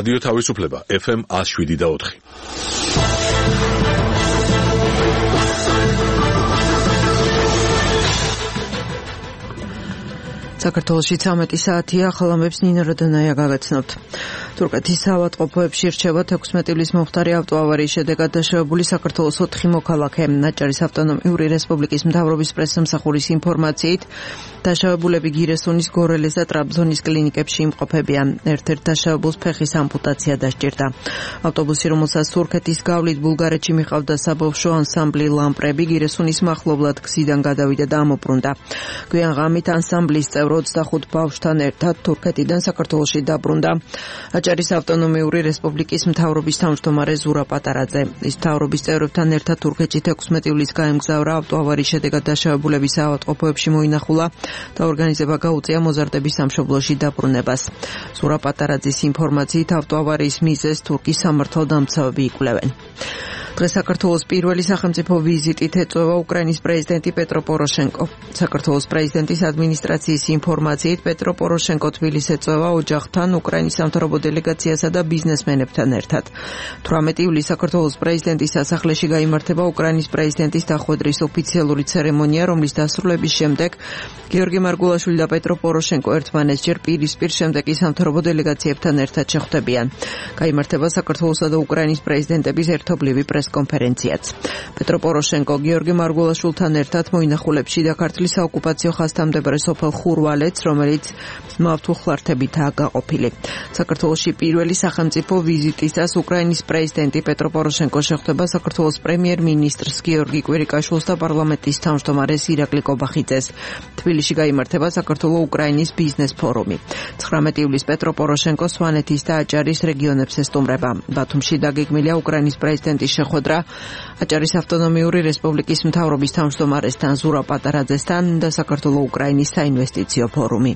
რადიო თავისუფლება FM 107.4. საქართველოში 13 საათია, ხალხებს ნინო როდონაია გაგაცნობთ. თურქეთის საავადმყოფოებში რჩება 16 ივლისის მომხდარი ავტოავარიის შედეგად დაშავებული საქართველოს 4 მოქალაქე. ნაჭარის ავტონომიური რესპუბლიკის მთავრობის პრესსამსახურის ინფორმაციით, დაშავებულები გირესუნის, გორელეს და ტრაბზონის კლინიკებში იმყოფებიან. ერთ-ერთ დაშავებულს ფეხის ამპუტაცია დასჭირდა. ავტობუსი, რომელსაც თურქეთის გავლით ბულგარეთში მიყავდა საბავშვო ანსამბლი ლამპრები, გირესუნის მახლობლად გზიდან გადავიდა და ამობრუნდა. გვიან ღამით ანსამბლის წევრ 25 ბავშვთან ერთად თურქეთიდან საქართველოში დაბრუნდა. აჭარის ავტონომიური რესპუბლიკის მთავრობის თავმჯდომარე ზურა პატარაძე. ის მთავრობის წევრებთან ერთად თურქეთში 16 ივლისს გაემგზავრა, ავტოავარიის შედეგად დაშავებულების საავადმყოფოებში მოინახულა და ორგანიზება გაუწია მოზარდების სამშობლოში დაბრუნებას. ზურა პატარაძის ინფორმაციით, ავტოავარიის მიზეზს თურქის სამართალდამცავები იკვლევენ. დღეს საქართველოს პირველი სახელმწიფო ვიზიტით ეწევა უკრაინის პრეზიდენტი პეტრო პოროშენკო. საქართველოს პრეზიდენტის ადმინისტრაციის ინფორმაციით, პეტრო პოროშენკო თბილისს ეწევა ოჯახთან, უკრაინის სამთავრობო დელეგაციასა და ბიზნესმენებთან ერთად. 18 ივლისს საქართველოს პრეზიდენტის სასახლეში გაიმართება უკრაინის პრეზიდენტის დახვედრის ოფიციალური ცერემონია, რომლის დასრულების შემდეგ გიორგი მარგულაშვილი და პეტრო პოროშენკო ერთმანეთსჯერ პირისპირ შემდეგ ის სამთავრობო დელეგაციებთან ერთად შეხვდებიან. გაიმართება საქართველოსა და უკრაინის პრეზიდენტების ერთობლივი პრესკონფერენციაც. პეტრო პოროშენკო გიორგი მარგულაშვილთან ერთად მოინახულებს შიდა ქართლის საოკუპაციო ხაზთამდებარე სოფელ ხურვალეთს, რომელიც მავთუხლართებითაა გაყოფილი. საქართველოში პირველი სახელმწიფო ვიზიტისას უკრაინის პრეზიდენტი პეტრო პოროშენკო შეხვდება საქართველოს პრემიერ-მინისტრს გიორგი კვირიკაშვილს და პარლამენტის თავმჯდომარეს ირაკლი კობახიძეს. თბილისში გაიმართება საქართველო-უკრაინის ბიზნეს ფორუმი. 19 ივლისს პეტრო პოროშენკო სვანეთის და აჭარის რეგიონებს ესტუმრება. ბათუმში დაგეგმილია უკრაინის პრეზიდენტის შეხვედრა აჭარის ავტონომიური რესპუბლიკის მთავრობის თავმჯდომარესთან ზურა პატარაძესთან და საქართველო-უკრაინის საინვესტიციო ფორუმი.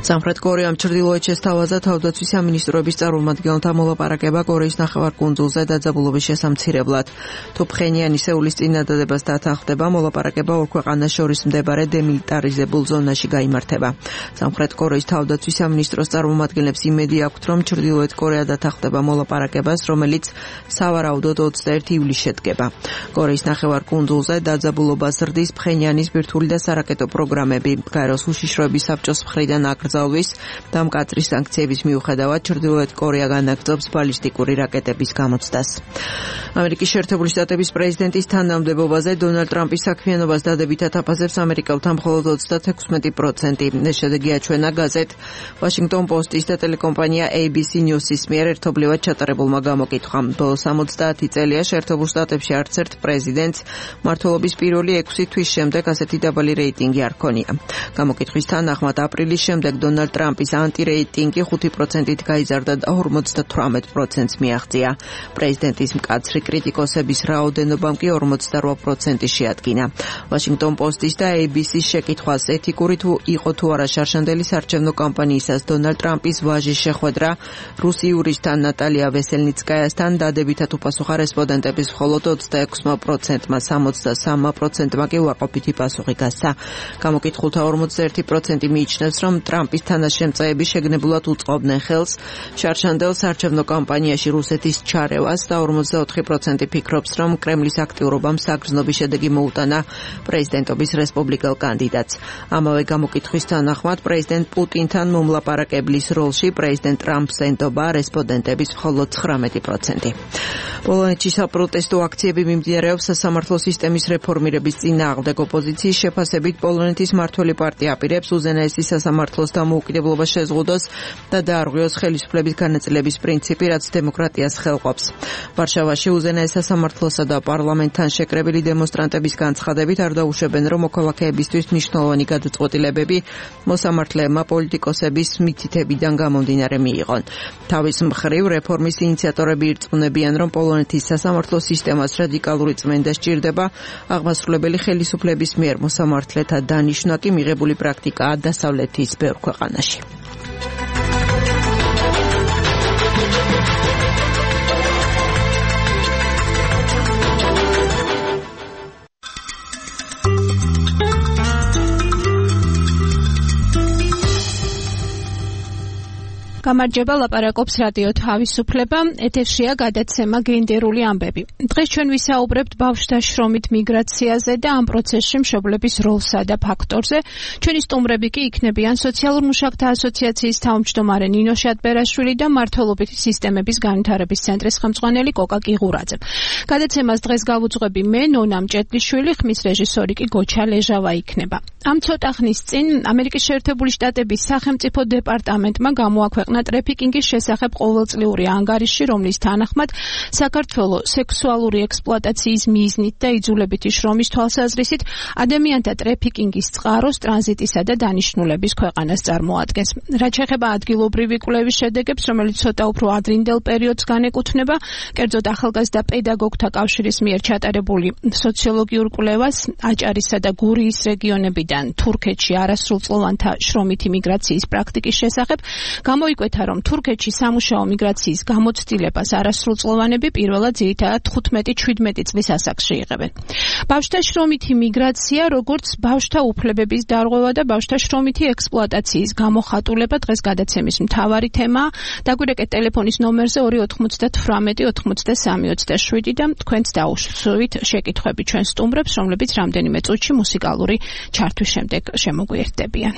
სამხრეთ კორეამ ჩრდილოეთში შესთავაზა თავდაცვის სამინისტროების წარმომადგენელთა მოლაპარაკება კორეის ნახევარკუნძულზე დაძაბულობის შესამცირებლად. თუ ფხენიანი სეულის წინადადებას დათანხმდება, მოლაპარაკება ორ ქვეყანას შორის მდებარე დემილიტარიზებულ ზონაში გაიმართება. სამხრეთ კორეის თავდაცვის სამინისტროს წარმომადგენლებს იმედი აქვთ, რომ ჩრდილოეთ კორეა დათანხმდება მოლაპარაკებას, რომელიც სავარაუდოდ 21 ივლისს შედგება. კორეის ნახევარკუნძულზე დაძაბულობას ზრდის ფხენიანის ბირთვული და სარაკეტო პროგრამები. გაეროს უშიშროების საბჭოს მხრიდან და მკაცრი სანქციების მიუხედავად ჩრდილოეთ კორეა განაგრძობს ბალისტიკური რაკეტების გამოცდას. ამერიკის შეერთებული შტატების პრეზიდენტის თანამდებობაზე დონალდ ტრამპის საქმიანობას დადებითად აფასებს ამერიკელთა მხოლოდ 36%. ეს შედეგი აჩვენა გაზეთ Washington Post-ის და ტელეკომპანია ABC News-ის მიერ ერთობლივად ჩატარებულმა გამოკითხვამ. ბოლო 70 წელია შეერთებულ შტატებში არც ერთ პრეზიდენტს მმართველობის პირველი 6 თვის შემდეგ ასეთი დაბალი რეიტინგი არ ჰქონია. გამოკითხვის თანახმად აპრილის შემდეგ დონალდ ტრამპის ანტირეიტინგი 5%-ით გაიზარდა და 58%-ს მიაღწია. პრეზიდენტის მკაცრი კრიტიკოსების რაოდენობამ კი 48% შეადგინა. Washington Post-ის და ABC-ის შეკითხვას ეთიკური თუ იყო თუ არა შარშანდელი საარჩევნო კამპანიისას დონალდ ტრამპის ვაჟის შეხვედრა რუსი იურისტთან ნატალია ვესელნიცკაიასთან დადებითად უპასუხა რესპონდენტების მხოლოდ 26%-მა, 63%-მა კი უარყოფითი პასუხი გასცა. გამოკითხულთა 41% მიიჩნევს, რომ ტრამპის თანაშემწეები შეგნებულად უწყობდნენ ხელს შარშანდელ საარჩევნო კამპანიაში რუსეთის ჩარევას და 44% ფიქრობს, რომ კრემლის აქტიურობამ საგრძნობი შედეგი მოუტანა პრეზიდენტობის რესპუბლიკელ კანდიდატს. ამავე გამოკითხვის თანახმად პრეზიდენტ პუტინთან მომლაპარაკებლის როლში პრეზიდენტ ტრამპს ენდობა რესპონდენტების მხოლოდ 19%. პოლონეთში საპროტესტო აქციები მიმდინარეობს სასამართლო სისტემის რეფორმირების წინააღმდეგ. ოპოზიციის შეფასებით პოლონეთის მმართველი პარტია აპირებს უზენაესი სასამართლოს დამოუკიდებლობა შეზღუდოს და დაარღვიოს ხელისუფლების განაწილების პრინციპი, რაც დემოკრატიას ხელყოფს. ვარშავაში უზენაეს სასამართლოსა და პარლამენტთან შეკრებილი დემონსტრანტების განცხადებით არ დაუშვებენ, რომ მოქალაქეებისთვის მნიშვნელოვანი გადაწყვეტილებები მოსამართლეებმა პოლიტიკოსების მითითებიდან გამომდინარე მიიღონ. თავის მხრივ რეფორმის ინიციატორები ირწმუნებიან, რომ პოლონეთის სასამართლო სისტემას რადიკალური წმენდა სჭირდება, აღმასრულებელი ხელისუფლების მიერ მოსამართლეთა დანიშვნა კი მიღებული პრაქტიკაა დასავლეთის ბევრ ქვეყანაში. გამარჯობა, ლაპარაკობს რადიო თავისუფლება, ეთერშია გადაცემა გენდერული ამბები. დღეს ჩვენ ვისაუბრებთ ბავშვთა შრომით მიგრაციაზე და ამ პროცესში მშობლების როლსა და ფაქტორზე. ჩვენი სტუმრები კი იქნებიან სოციალურ მუშაკთა ასოციაციის თავმჯდომარე ნინო შატბერაშვილი და მმართველობითი სისტემების განვითარების ცენტრის ხელმძღვანელი კოკა კიღურაძე. გადაცემას დღეს გავუძღვები მე, ნონა მჭედლიშვილი, ხმის რეჟისორი კი გოჩა ლეჟავა იქნება. ამ ცოტა ხნის წინ ამერიკის შეერთებული შტატების სახელმწიფო დეპარტამენტმა გამოაქვეყნა ტრეფიკინგის შესახებ ყოველწლიური ანგარიში, რომლის თანახმად საქართველოს სექსუალური ექსპლუატაციის მიზნით და იძულებითი შრომის თვალსაზრისით ადამიანთა ტრეფიკინგის წყაროს, ტრანზიტისა და დანიშნულების ქვეყანას წარმოადგენს. რაც შეეხება ადგილობრივი კვლევის შედეგებს, რომელიც ცოტა უფრო ადრინდელ პერიოდს განეკუთვნება, კერძოდ ახალგაზრდა პედაგოგთა კავშირის მიერ ჩატარებული სოციოლოგიურ კვლევას აჭარისა და გურიის რეგიონებიდან თურქეთში არასრულწლოვანთა შრომითი მიგრაციის პრაქტიკის შესახებ, გამოიკვეთა, რომ თურქეთში სამუშაო მიგრაციის გამოცდილებას არასრულწლოვანები პირველად ძირითადად 15-17 წლის ასაკში იღებენ. ბავშვთა შრომითი მიგრაცია, როგორც ბავშვთა უფლებების დარღვევა და ბავშვთა შრომითი ექსპლუატაციის გამოხატულება დღეს გადაცემის მთავარი თემაა. დაგვირეკეთ ტელეფონის ნომერზე 298-93-27 და თქვენც დაუსვით შეკითხვები ჩვენ სტუმრებს, რომლებიც რამდენიმე წუთში მუსიკალური ჩართვის შემდეგ შემოგვიერთდებიან.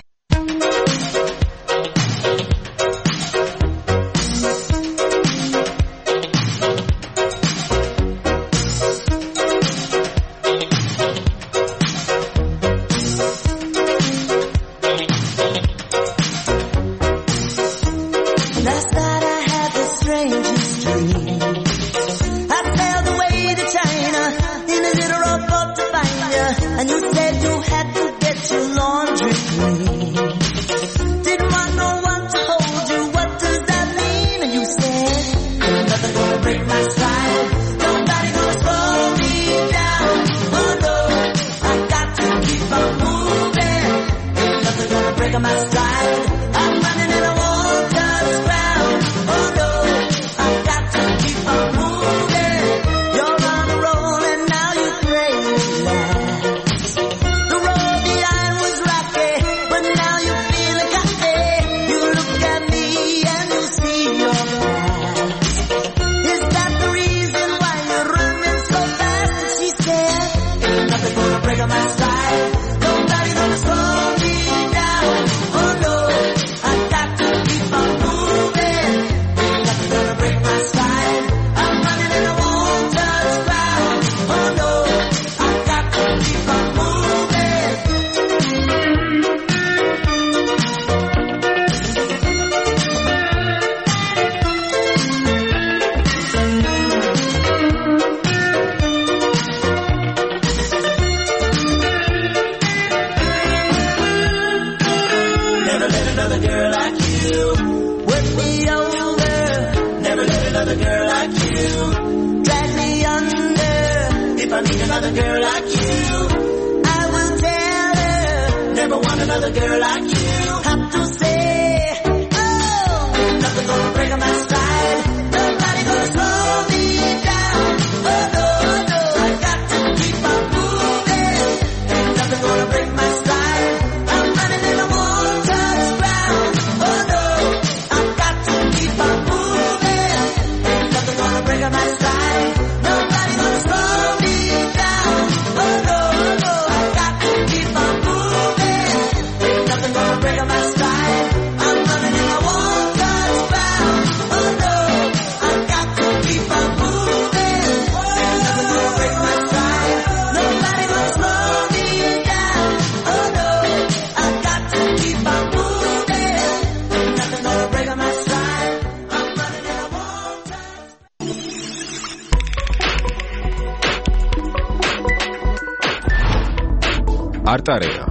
არტარეა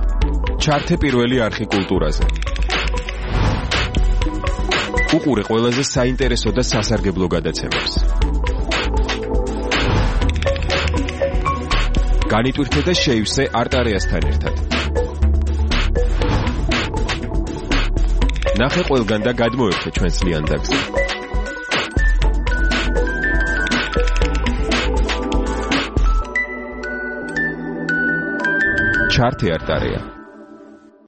ჩართე პირველი არხი კულტურაზე. უყურე ყველაზე საინტერესო და სასარგებლო გადაცემებს. განიტვირთე და შეივსე არტარეასთან ერთად. ნახე ყველგან და გადმოერთე ჩვენს ლიანდაგზე. ჩართე არტარეა.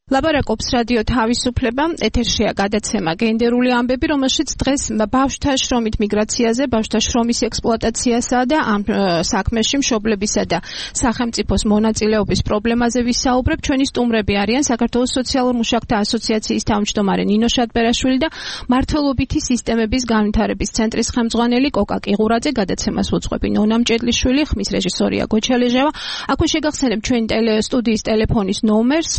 ლაპარაკობს რადიო თავისუფლება, ეთერშია გადაცემა გენდერული ამბები, რომელშიც დღეს ბავშვთა შრომით მიგრაციაზე, ბავშვთა შრომის ექსპლუატაციასა და ამ საქმეში მშობლებისა და სახელმწიფოს მონაწილეობის პრობლემაზე ვისაუბრებ. ჩვენი სტუმრები არიან საქართველოს სოციალურ მუშაკთა ასოციაციის თავმჯდომარე ნინო შატბერაშვილი და მართლობითი სისტემების განვითარების ცენტრის ხელმძღვანელი კოკა კიღურაძე. გადაცემას უძღვები ნონა მჭედლიშვილი, ხმის რეჟისორია გოჩალეჟავა. აქვე შეგახსენებ ჩვენი სტუდიის ტელეფონის ნომერს,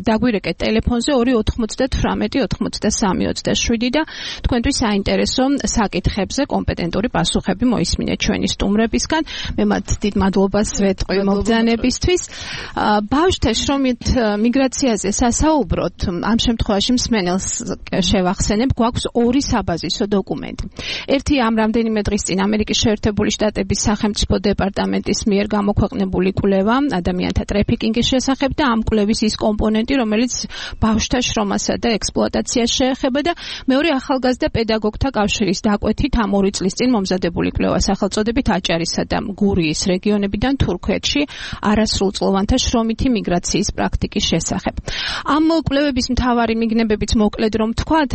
დაგვირეკეთ ტელეფონზე 298-93-27 და თქვენთვის საინტერესო საკითხებზე კომპეტენტური პასუხები მოისმინეთ ჩვენი სტუმრებისგან. მე მათ დიდ მადლობას ვეთყვი მობრძანებისთვის. ბავშვთა შრომით მიგრაციაზე სასაუბროთ, ამ შემთხვევაში მსმენელს შევახსენებ, გვაქვს ორი საბაზისო დოკუმენტი. ერთი ამ რამდენიმე დღის წინ ამერიკის შეერთებული შტატების სახელმწიფო დეპარტამენტის მიერ გამოქვეყნებული კვლევა ადამიანთა ტრაფიკინგის შესახებ და ამ კვლევის ის კომპონენტი, რომელიც ბავშვთა შრომასა და ექსპლუატაციას შეეხება და მეორე ახალგაზრდა პედაგოგთა კავშირის დაკვეთით ამ 2 წლის წინ მომზადებული კვლევა სახელწოდებით აჭარისა და გურიის რეგიონებიდან თურქეთში არასრულწლოვანთა შრომითი მიგრაციის პრაქტიკის შესახებ. ამ კვლევების მთავარი მიგნებებიც მოკლედ რომ თქვათ,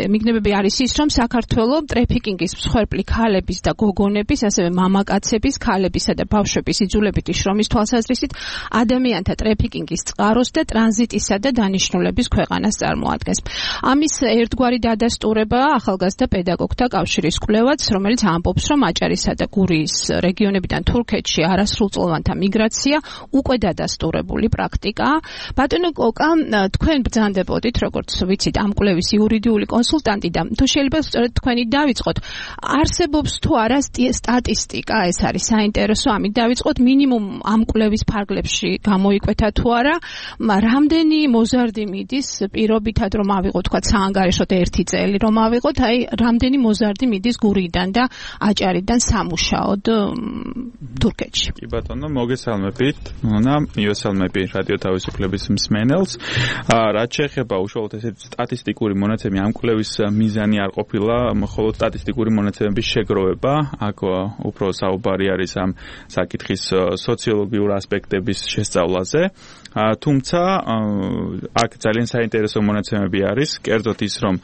მიგნებები არის ის, რომ საქართველოს ტრაფიკინგის მსხვერპლი ქალების და გოგონების, ასევე მამაკაცების, ქალებისა და ბავშვების იძულებითი შრომის თვალსაზრისით ადამიანთა ტრაფიკინგის წყაროს და ტრანზიტისა და დანიშნულების ქვეყანას წარმოადგენს. ამის ერთგვარი დადასტურება ახალგაზრდა პედაგოგთა კავშირის კვლევაც, რომელიც ამბობს, რომ აჭარისა და გურიის რეგიონებიდან თურქეთში არასრულწლოვანთა მიგრაცია უკვე დადასტურებული პრაქტიკაა. ბატონო კოკა, თქვენ ბრძანდებოდით, როგორც ვიცით, ამ კვლევის იურიდიული კონსულტანტი და თუ შეიძლება სწორედ თქვენი დავიწყოთ. არსებობს თუ არა სტატისტიკა, ეს არის საინტერესო, ამით დავიწყოთ, მინიმუმ ამ კვლევის ფარგლებში გამოიკვეთა თუ არა, რამდენი მოზარდი მიდის პირობითად რომ ავიღოთ თქვა საანგარიშოდ 1 წელი რომ ავიღოთ, აი რამდენი მოზარდი მიდის გურიდან და აჭარიდან სამუშაოდ თურქეთში. კი ბატონო, მოგესალმებით. ნონა, მიესალმები რადიო თავისუფლების მსმენელს. რაც შეეხება უშუალოდ ესეთი სტატისტიკური მონაცემი, ამ კვლევის მიზანი არ ყოფილა მხოლოდ სტატისტიკური მონაცემების შეგროვება, აქ უფრო საუბარი არის ამ საკითხის სოციოლოგიურ ასპექტების შესწავლაზე. თუმცა აქ ძალიან საინტერესო მონაცემები არის, კერძოდ ის, რომ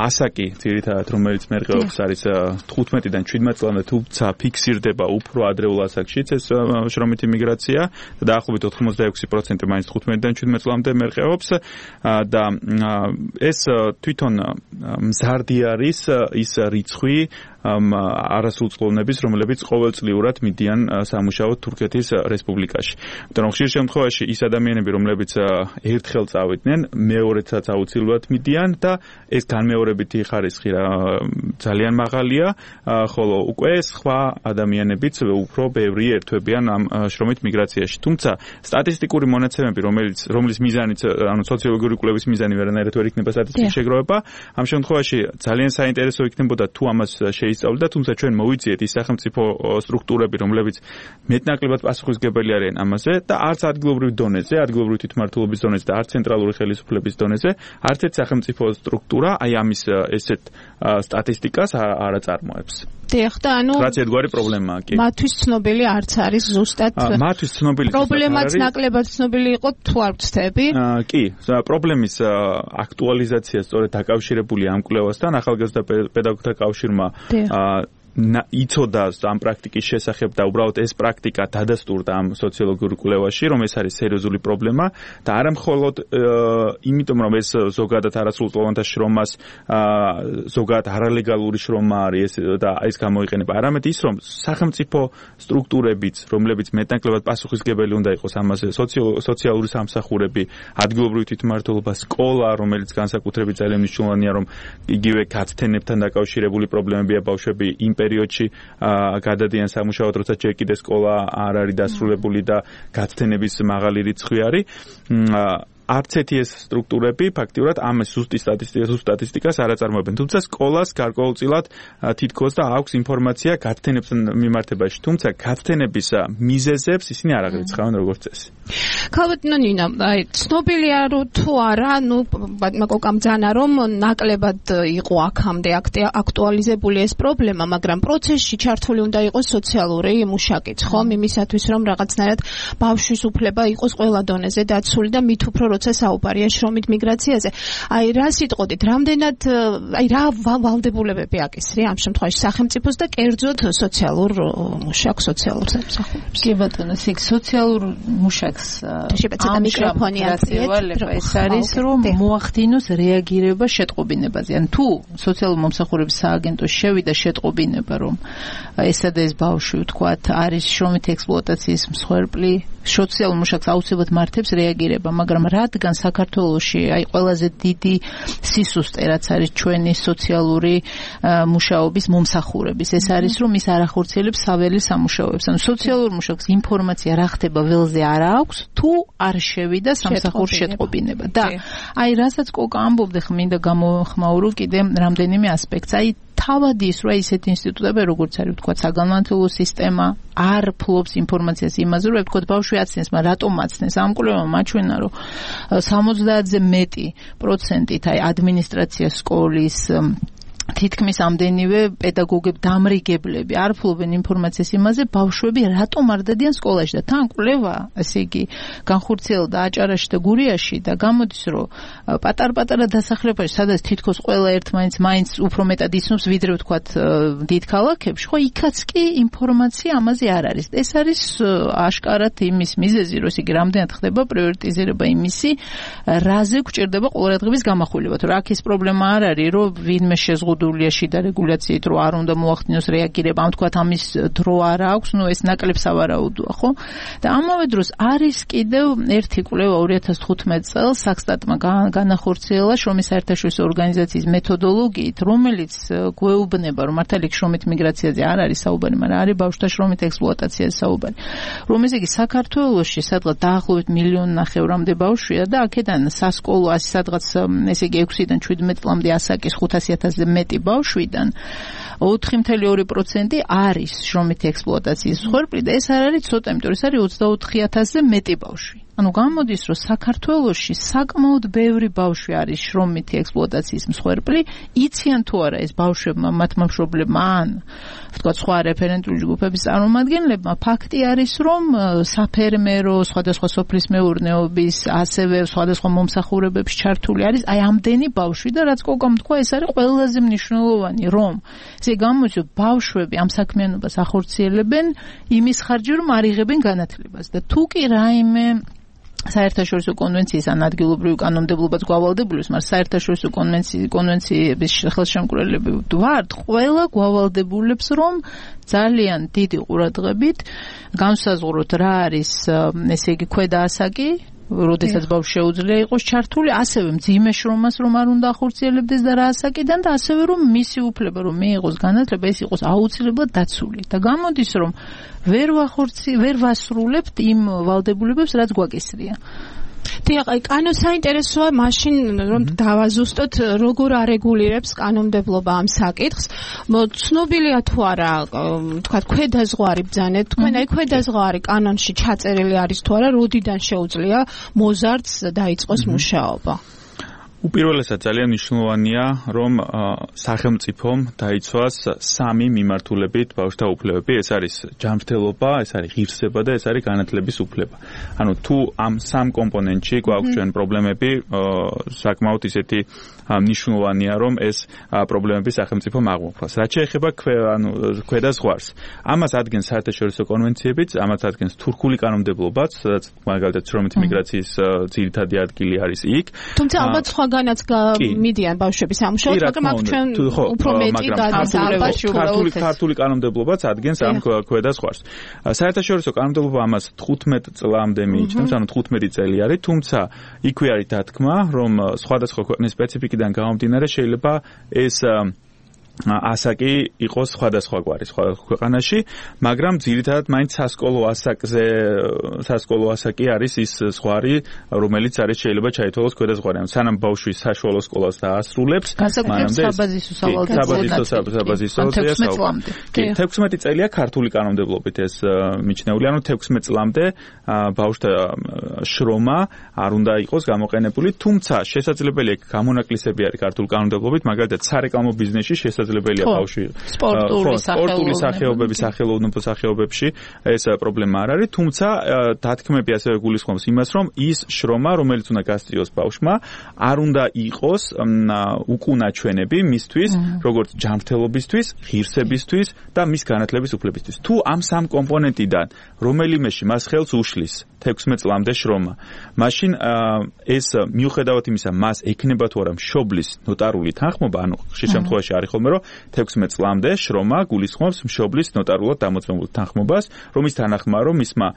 ასაკი, ძირითადად რომელიც მერყეობს, არის 15-დან 17 წლამდე, თუმცა ფიქსირდება უფრო ადრეულ ასაკშიც ეს შრომითი მიგრაცია და დაახლოებით 86% მაინც 15-დან 17 წლამდე მერყეობს და ეს თვითონ მზარდი არის ის რიცხვი არასრულწლოვნების, რომლებიც ყოველწლიურად მიდიან სამუშაოდ თურქეთის რესპუბლიკაში. იმიტომ რომ ხშირ შემთხვევაში ის ადამიანები, რომლებიც ერთხელ წავიდნენ, მეორედაც აუცილებლად მიდიან და ეს განმეორებითი ხარისხი ძალიან მაღალია, ხოლო უკვე სხვა ადამიანებიც უფრო ბევრი ერთვებიან ამ შრომით მიგრაციაში. თუმცა სტატისტიკური მონაცემები, რომლის მიზანიც, ანუ სოციოლოგიური კვლევის მიზანი ვერანაირად ვერ იქნება სტატისტიკის შეგროვება, ამ შემთხვევაში ძალიან საინტერესო იქნებოდა თუ ამას შეისწავლდა, თუმცა ჩვენ მოვიძიეთ ის სახელმწიფო სტრუქტურები, რომლებიც მეტნაკლებად პასუხისმგებელი არიან ამაზე და არც ადგილობრივ დონეზე, ადგილობრივი თვითმმართველობის დონეზე და არც ცენტრალური ხელისუფლების დონეზე, არც ერთ სახელმწიფო სტრუქტურა აი ამის ესეთ სტატისტიკას არ აწარმოებს. დიახ, და ანუ რაც ერთგვარი პრობლემაა, კი. მათთვის ცნობილი არც არის ზუსტად. მათთვის ცნობილი პრობლემაც ნაკლებად ცნობილი იყო თუ არ ვცდები? კი, პრობლემის აქტუალიზაცია სწორედ დაკავშირებულია ამ კვლევასთან, ახალგაზრდა პედაგოგთა კავშირმა იცოდა ამ პრაქტიკის შესახებ და უბრალოდ ეს პრაქტიკა დადასტურდა ამ სოციოლოგიურ კვლევაში, რომ ეს არის სერიოზული პრობლემა და არა მხოლოდ იმიტომ, რომ ეს ზოგადად არასრულწლოვანთა შრომას ზოგადად არალეგალური შრომა არის და ეს გამოიყენება, არამედ ის, რომ სახელმწიფო სტრუქტურებიც, რომლებიც მეტნაკლებად პასუხისმგებელი უნდა იყოს ამაზე, სოციალური სამსახურები, ადგილობრივი თვითმმართველობა, სკოლა, რომელიც განსაკუთრებით ძალიან მნიშვნელოვანია, რომ იგივე გაცდენებთან დაკავშირებული პრობლემებია ბავშვები იმ პერიოდში გადადიან სამუშაოდ, როცა ჯერ კიდე სკოლა არ არის დასრულებული და გაცდენების მაღალი რიცხვი არის. არც ერთი ეს სტრუქტურები ფაქტიურად ამ ზუსტი სტატისტიკას არ აწარმოებენ. თუმცა სკოლას გარკვეულწილად თითქოს და აქვს ინფორმაცია გაცდენებთან მიმართებაში. თუმცა გაცდენების მიზეზებს ისინი არ აღრიცხავენ როგორც წესი. ქალბატონო ნინა, ცნობილია თუ არა, მაგოკამ ძანა რომ ნაკლებად იყო აქამდე აქტუალიზებული ეს პრობლემა, მაგრამ პროცესში ჩართული უნდა იყოს სოციალური მუშაკიც, ხომ? იმისათვის რომ რაღაცნაირად ბავშვის უფლება იყოს ყველა დონეზე დაცული და მით უფრო როცა საუბარია შრომით მიგრაციაზე. აი რა სიტყოდით, რამდენად რა ვალდებულებები აკისრია ამ შემთხვევაში სახელმწიფოს და კერძოდ სოციალურ მუშაკს, სოციალურ სამსახურებს? კი ბატონო, სოციალურ მუშაკს ამ მიგრაციავალება ეს არის რომ მოახდინოს რეაგირება შეტყობინებაზე. ან თუ სოციალურ მომსახურების სააგენტოს შევიდა შეტყობინება რომ ესა და ეს ბავშვი ვთქვათ არის შრომით ექსპლუატაციის მსხვერპლი, სოციალურ მუშაკს აუცილებლად მართებს რეაგირება, მაგრამ რადგან საქართველოში აი ყველაზე დიდი სისუსტე რაც არის ჩვენი სოციალური მუშაობის მომსახურების, ეს არის რომ ის არ ახორციელებს საველე სამუშაოებს. ანუ სოციალურ მუშაკს ინფორმაცია რა ხდება ველზე არ აქვს, თუ არ შევიდა სამსახურში შეტყობინება. და აი რასაც კოკა ამბობდე, მინდა გამოხმაურო კიდე რამდენიმე ასპექტს. აი თავად ის რა ისეთი ინსტიტუტები როგორც არის ვთქვათ საგანმანათლებლო სისტემა არ ფლობს ინფორმაციას იმაზე რომ ვთქვათ ბავშვი აცნეს, მაგრამ რატომ აცნეს? ამ კვლევამ მაჩვენა რომ 70-ზე მეტი პროცენტით აი ადმინისტრაცია სკოლის თითქმის ამდენივე პედაგოგები, დამრიგებლები არ ფლობენ ინფორმაციას იმაზე, ბავშვები რატომ არ დადიან სკოლაში და თან კვლევა, ესე იგი, განხორციელდა აჭარაში და გურიაში და გამოდის, რომ პატარ-პატარა დასახლებაში, სადაც თითქოს ყველა ერთმანეთს მაინც უფრო მეტად იცნობს, ვიდრე ვთქვათ დიდ ქალაქებში, ხო, იქაც კი ინფორმაცია ამაზე არ არის. ეს არის აშკარად იმის მიზეზი, რომ ესე იგი, რამდენად ხდება პრიორიტიზირება იმისი, რაზე გვჭირდება ყურადღების გამახვილება. თუ რა აქ ეს პრობლემა არ არის, რომ ვინმე შეზღუდულია შიდა რეგულაციით, რომ არ უნდა მოახდინოს რეაგირება, ამ თქვათ ამის დრო არ აქვს, ნუ ეს ნაკლებ სავარაუდოა, ხო? და ამავე დროს არის კიდევ ერთი კვლევა 2015 წელს საქსტატმა განახორციელა შრომის საერთაშორისო ორგანიზაციის მეთოდოლოგიით, რომელიც გვეუბნება, რომ მართალი შრომით მიგრაციაზე არ არის საუბარი, მაგრამ არის ბავშვთა შრომით ექსპლუატაციაზე საუბარი. რომ ესე იგი საქართველოში სადღაც დაახლოებით 1.5 მილიონამდე ბავშვია და აქედან სასკოლო ასე სადღაც ესე იგი 6-დან 17 წლამდე ასაკის 500,000-ზე მეტი ბავშვიდან 4.2% არის შრომითი ექსპლუატაციის მსხვერპლი და ეს არ არის ცოტა, იმიტომ ეს არის 24,000-ზე მეტი ბავშვი. ანუ გამოდის, რომ საქართველოში საკმაოდ ბევრი ბავშვი არის შრომითი ექსპლუატაციის მსხვერპლი, იციან თუ არა ეს ბავშვებმა, მათმა მშობლებმა ან ვთქვათ სხვა რეფერენტული ჯგუფების წარმომადგენლებმა, ფაქტი არის, რომ საფერმერო, სხვადასხვა სოფლის მეურნეობის, ასევე სხვადასხვა მომსახურებებში ჩართული არის აი ამდენი ბავშვი და რაც კოკამ თქვა, ეს არის ყველაზე მნიშვნელოვანი, რომ ესე გამოდის, რომ ბავშვები ამ საქმიანობას ახორციელებენ იმის ხარჯზე, რომ არ იღებენ განათლებას და თუ კი რაიმე საერთაშორისო კონვენციის ან ადგილობრივი კანონმდებლობაც გვავალდებულებს, მაგრამ საერთაშორისო კონვენციების ხელშემკვრელები ვართ, ყველა გვავალდებულებს, რომ ძალიან დიდი ყურადღებით განსაზღვროთ რა არის, ესე იგი, ქვედა ასაკი, როდესაც ბავშვი შეუძლია იყოს ჩართული, ასევე მძიმე შრომას რომ არ უნდა ახორციელებდეს და რა ასაკიდან და ასევე რომ მისი უფლება რომ მიიღოს განათლება, ეს იყოს აუცილებლად დაცული. და გამოდის, რომ ვერ ვასრულებთ იმ ვალდებულებებს, რაც გვაკისრია. დიახ, კანონი საინტერესოა მაშინ რომ დავაზუსტოთ როგორ არეგულირებს კანონმდებლობა ამ საკითხს. ცნობილია თუ არა, თქვათ ქვედაზღვარი ბრძანეთ, თქვენ აი ქვედაზღვარი კანონში ჩაწერილი არის თუ არა, როდიდან შეუძლია მოზარდს დაიწყოს მუშაობა? უპირველესად ძალიან მნიშვნელოვანია, რომ სახელმწიფომ დაიცვას სამი მიმართულებით ბავშვთა უფლებები, ეს არის ჯანმრთელობა, ეს არის ღირსება და ეს არის განათლების უფლება. ანუ თუ ამ სამ კომპონენტში გვაქვს ჩვენ პრობლემები, საკმაოდ ისეთი მნიშვნელოვანია, რომ ეს პრობლემები სახელმწიფომ აღმოფხვრას. რაც შეეხება ქვედაზღვარს, ამას ადგენს საერთაშორისო კონვენციებიც, ამას ადგენს თურქული კანონმდებლობაც, სადაც მაგალითად შრომითი მიგრაციის ძირითადი ადგილი არის იქ. თუმცა ალბათ სხვაგანაც მიდიან ბავშვები სამუშაოდ, მაგრამ აქ ჩვენ უფრო მეტი გადასწავლება ქართული კანონმდებლობაც ადგენს ამ ქვედაზღვარს. საერთაშორისო კანონმდებლობა ამას 15 წლამდე მიიჩნევს, ანუ 15 წელი არის, თუმცა იქვე არის დათქმა, რომ სხვადასხვა ქვეყნის სპეციფიკიდან გამომდინარე შეიძლება ეს ასაკი იყოს სხვადასხვაგვარი სხვა ქვეყანაში, მაგრამ ძირითადად მაინც სასკოლო ასაკი არის ის ზღვარი, რომელიც არის შეიძლება ჩაითვალოს ქვედაზღვარი. სანამ ბავშვი საშუალო სკოლას დაასრულებს, მანამდე საბაზისო 16 წელია ქართული კანონმდებლობით ეს მიჩნეული, ანუ 16 წლამდე ბავშვთა შრომა არ უნდა იყოს გამოყენებული, თუმცა შესაძლებელია გამონაკლისები არის ქართული კანონმდებლობით, მაგალითად სარეკლამო ბიზნესში შესაძლებელია ბავშვი სპორტული სახეობების სახელოვნებო სახეობებში ეს პრობლემა არ არის, თუმცა დათქმები ასევე გულისხმობს იმას, რომ ის შრომა, რომელიც უნდა გასწიოს ბავშვმა, არ უნდა იყოს უკუნაჩვენები მისთვის, როგორც ჯანმრთელობისთვის, ღირსებისთვის და მის განათლების უფლებისთვის. თუ ამ სამ კომპონენტიდან რომელიმეში მას ხელს უშლის 16 წლამდე შრომა, მაშინ ეს მიუხედავად იმისა, მას ექნება თუ არა მშობლის ნოტარული თანხმობა, ანუ ხშირ შემთხვევაში არის ხოლმე, რომ 16 წლამდე შრომა გულისხმობს მშობლის ნოტარულად დამოწმებულ თანხმობას, რომის თანახმაა, რომ მისმა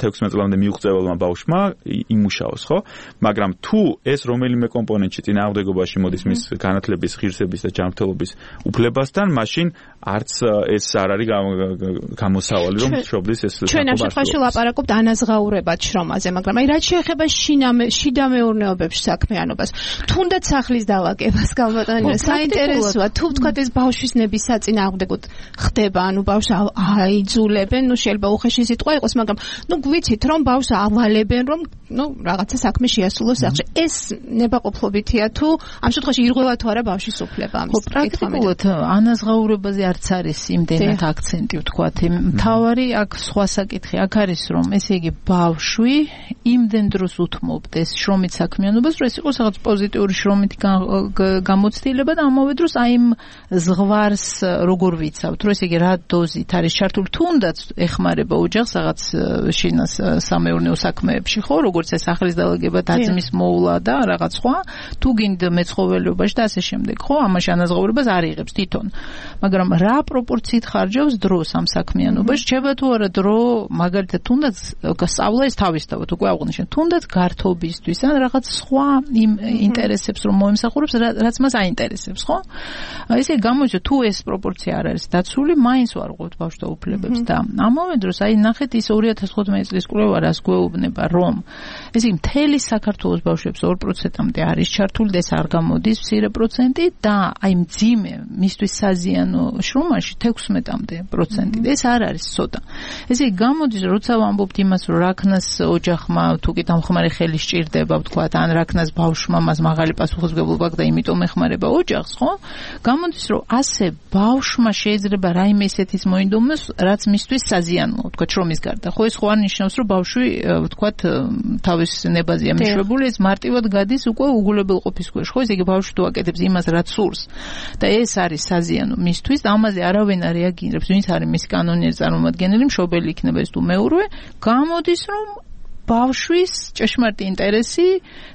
16 წლამდე მიუღწეველმა ბავშვმა იმუშაოს, ხო? მაგრამ თუ ეს რომელიმე კომპონენტში წინააღმდეგობაში მოდის მის განათლების, ღირსების და ჯანმრთელობის უფლებასთან, მაშინ არც ეს არ არის გამოსავალი, რომ მშობლის ეს ჩვენ ამ შემთხვევაში ლაპარაკობთ ანაზღაურებად შრომაზე, მაგრამ აი რაც შეეხება შიდა მეურნეობებში საქმიანობას, თუნდაც სახლის დალაგებას გამოტანილი, საინტერესოა, თუ ვთქვათ ეს ბავშვის ნების საწინააღმდეგოდ ხდება, ანუ ბავშვს აიძულებენ, შეიძლება უხეში სიტყვა იყოს, მაგრამ გვიცით, რომ ბავშვს ავალებენ, რომ რაღაცა საქმე შეასრულოს სახში. ეს ნებაყოფლობითია თუ ამ შემთხვევაში ირღვევა თუ არა ბავშვის უფლება ამის. პრაქტიკულად ანაზღაურებაზე არც არის იმდენად აქცენტი ვთქვათ. მთავარი აქ სხვა საკითხი აქ არის, რომ ესე იგი ბავშვი იმდენ დროს უთმობდეს შრომით საქმიანობას, რომ ეს იყოს რაღაც პოზიტიური შრომით გამოცდილება და ამავე დროს აი იმ ზღვარს როგორ ვიცავთ, რომ ესე იგი რა დოზით არის ჩართული, თუნდაც ეხმარება ოჯახს რაღაც შინას სამეურნეო საქმეებში, ხო, როგორც ეს სახლის დალაგება, დაძმის მოვლა და რაღაც სხვა, თუ გინდა მეცხოველეობაში და ასე შემდეგ, ხო, ამაში ანაზღაურებას არ იღებს თვითონ. მაგრამ რა პროპორციით ხარჯავს დროს ამ საქმიანობაში, რჩება თუ არა დრო, მაგალითად თუნდაც სწავლა ეს თავისთავად უკვე აღნიშნეთ, თუნდაც გართობისთვის ან რაღაც სხვა იმ ინტერესებს რომ მოემსახურებს, რაც მას აინტერესებს, ხო? ესე გამოიჩინოს თუ ეს პროპორცია არ არის დაცული, მაინც ვარღვევთ ბავშვთა უფლებებს და ამავე დროს აი ნახეთ ის 2015 წლის კვლევა რას გვეუბნება, რომ ესე იგი მთელი საქართველოს ბავშვებს 2%-მდე არის ჩართული და ეს არ გამოდის მცირე პროცენტი და აი მძიმე მისთვის საზიანო შრომაში 16-მდე პროცენტი. ეს არ არის ცოტა. ესე იგი გამოდის, როცა ვამბობთ იმას, რომ რაქნას ოჯახმა თუ კი დამხმარე ხელი სჭირდება, ვთქვათ, ან რაქნას ბავშვმა მას მაღალი პასუხისმგებლობა აქვს და იმიტომ ეხმარება ოჯახს, ხო? გამოდის, რომ ასე ბავშვმა შეიძლება რაიმე ისეთის მოინდომოს, რაც მისთვის საზიანოა, ვთქვათ, შრომის გარდა. ხო, ეს ხო არ ნიშნავს, რომ ბავშვი, ვთქვათ, თავის ნებაზია მიშვებული, ეს მარტივად გადის უკვე უგულებელ ყოფის ქვეშ. ხო, ესე იგი ბავშვი თუ აკეთებს იმას, რაც სურს და ეს არის საზიანო მისთვის, ამაზე არავინ არ რეაგირებს, ვინც არის მის კანონიერი წარმომადგენელი, მშობელი იქნება ეს თუ მეურვე, გამოდის, რომ ბავშვის ჭეშმარიტი ინტერესი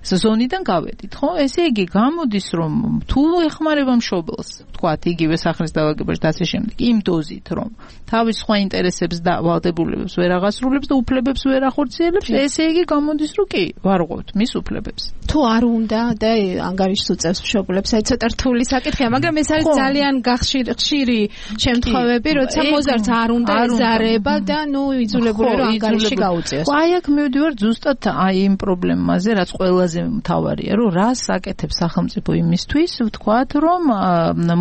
ზონიდან გავედით, ხო? ესე იგი გამოდის, რომ თუ ეხმარება მშობელს, ვთქვათ, იგივე სახლის დალაგებაში და ასე შემდეგ, იმ დოზით, რომ თავის სხვა ინტერესებს და ვალდებულებებს ვერ აღასრულებს და უფლებებს ვერ ახორციელებს, ესე იგი გამოდის, რომ კი, ვარღვევთ მის უფლებებს. თუ არ უნდა და ანგარიშს უწევს მშობლებს, აი ცოტა რთული საკითხია, მაგრამ ეს არის ძალიან ხშირი შემთხვევები, როცა მოზარდს არ უნდა ეზარება და იძულებული რომ ანგარიში გაუწიოს. აი აქ მივდივარ ზუსტად აი იმ პრობლემაზე, რაც ყველაზე მთავარია, რომ რას აკეთებს სახელმწიფო იმისთვის, ვთქვათ, რომ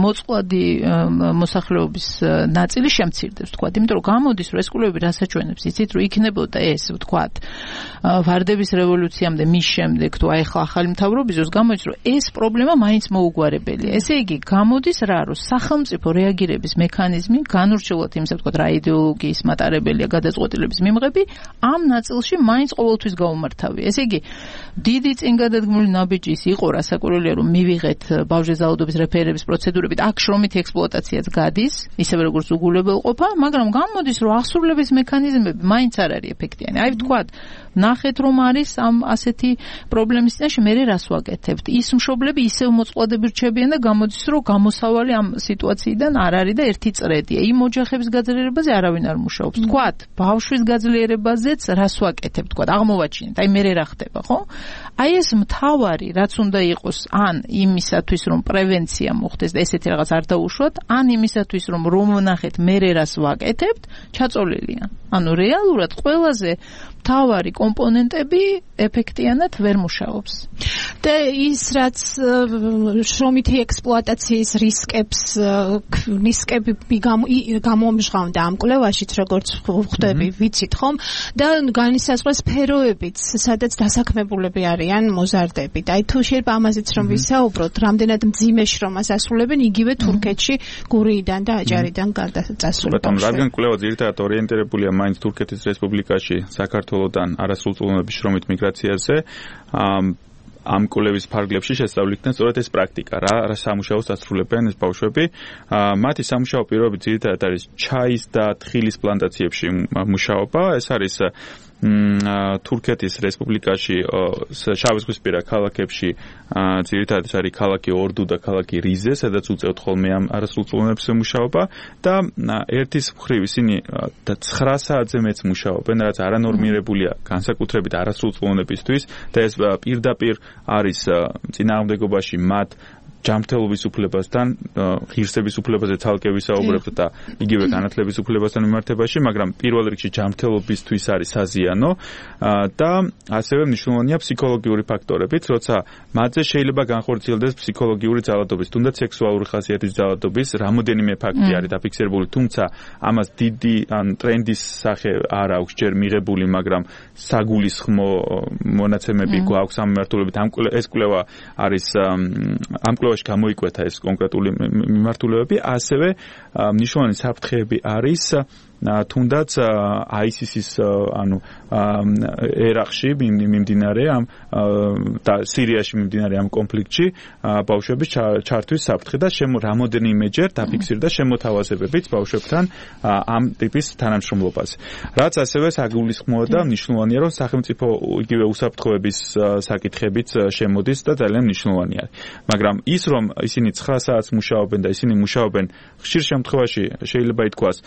მოწყვლადი მოსახლეობის ნაწილი შემცირდეს, ვთქვათ, იმიტომ რომ გამოდის, რომ ეს კვლევები რასაც ჩვენებს, იცით, რომ იქნებოდა ეს, ვთქვათ, ვარდების რევოლუციამდე, მის შემდეგ, თუ აი ახლა ახალი მთავრობის დროს გამოდის, რომ ეს პრობლემა მაინც მოუგვარებელია. ესე იგი, გამოდის რა, რომ სახელმწიფო რეაგირების მექანიზმი, განურჩევლად იმისა, ვთქვათ, რა იდეოლოგიის მატარებელია გადაწყვეტილების მიმღები, ამ ნაწილში მაინც ყოველთვის გაუმართავია. ესე იგი, დიდი წინგადადგმული ნაბიჯის იყო რასაკვირველია, რომ მივიღეთ ბავშვის ზალადობის რეფერირების პროცედურებით, აქ შრომითი ექსპლუატაციაც გადის, ისევე როგორც უგულებელყოფა, მაგრამ გამოდის, რომ აღსრულების მექანიზმები მაინც არ არის ეფექტიანი. აი ვთქვათ, ნახეთ რომ არის ამ ასეთი პრობლემის წინაშე, მე რას ვაკეთებთ? ის მშობლები ისევ მოწყვლადები რჩებიან და გამოდის, რომ გამოსავალი ამ სიტუაციიდან არ არის და ერთი წრედია. იმ ოჯახების გაძლიერებაზე არავინ არ მუშაობს. ვთქვათ, ბავშვის გაძლიერებაზეც რას ვაკეთებთ? თქვა, აღმოვაჩინეთ, აი მე რა ხდება, ხო? აი ეს მთავარი, რაც უნდა იყოს, ან იმისათვის, რომ პრევენცია მოხდეს და ესეთი რაღაც არ დაუშვათ, ან იმისათვის, რომ ვნახეთ მე რას ვაკეთებთ, ჩაწოლილია. ანუ რეალურად ყველაზე მთავარი კომპონენტები ეფექტიანად ვერ მუშაობს. და ის რაც შრომითი ექსპლუატაციის რისკები გამომჟღავნდა ამ კვლევაშიც, როგორც ხვდები, ვიცით ხომ? და განისაზღვრა სფეროებიც, სადაც დასაქმებულები არიან მოზარდები. და აი თუ შეიძლება ამაზეც რომ ვისაუბროთ, რამდენად მძიმე შრომას ასრულებენ იგივე თურქეთში გურიიდან და აჭარიდან გადაწასული. ბატონო, რადგან კვლევა ძირითადად ორიენტირებულია მაინც თურქეთის რესპუბლიკაში საქართველოდან არასრულწლოვნების შრომით მიგრაციაზე, ამ კვლევის ფარგლებში შესწავლით სწორედ ეს პრაქტიკა, რა სამუშაოს ასრულებენ ეს ბავშვები. მათი სამუშაო პირობები ძირითადად არის ჩაის და თხილის პლანტაციებში მუშაობა. ეს არის თურქეთის რესპუბლიკაში შავიზღვისპირა ქალაქებში ძირითადად არის ქალაქი ორდუ და ქალაქი რიზე, სადაც უწევთ ხოლმე ამ არასრულწლოვნების მუშაობა და ერთის მხრივ ისინი 9 საათზე მეც მუშაობენ, რაც არანორმირებულია განსაკუთრებით არასრულწლოვნებისთვის და ეს პირდაპირ არის წინააღმდეგობაში მათ ჯანმრთელობის უფლებასთან, ღირსების უფლებაზე ცალკე ვისაუბრებთ და იგივე განათლების უფლებასთან მიმართებაში, მაგრამ პირველ რიგში ჯანმრთელობისთვის არის საზიანო და ასევე მნიშვნელოვანია ფსიქოლოგიური ფაქტორებიც, როცა მათზე შეიძლება განხორციელდეს ფსიქოლოგიური ძალადობის, თუნდაც სექსუალური ხასიათის ძალადობის რამოდენიმე ფაქტი არის დაფიქსირებული, თუმცა ამას დიდი ტრენდის სახე არ აქვს ჯერ მიღებული, მაგრამ საგულისხმო მონაცემები გვაქვს ამ მიმართულებით. ეს კვლევა არის ამ გამოიკვეთა ეს კონკრეტული მიმართულებები, ასევე მნიშვნელოვანი საფრთხეები არის თუნდაც ISIS-ის ანუ ერაყში მიმდინარე ამ და სირიაში მიმდინარე ამ კონფლიქტში ბავშვების ჩართვის საფრთხე და რამოდენიმეჯერ დაფიქსირდა შემოთავაზებებიც ბავშვებთან ამ ტიპის თანამშრომლობაზე. რაც ასევე საგულისხმოა და მნიშვნელოვანია, რომ სახელმწიფო იგივე უსაფრთხოების საკითხებიც შემოდის და ძალიან მნიშვნელოვანი არის. მაგრამ ის რომ ისინი 9 საათს მუშაობენ და ისინი მუშაობენ ხშირ შემთხვევაში შეიძლება ითქვას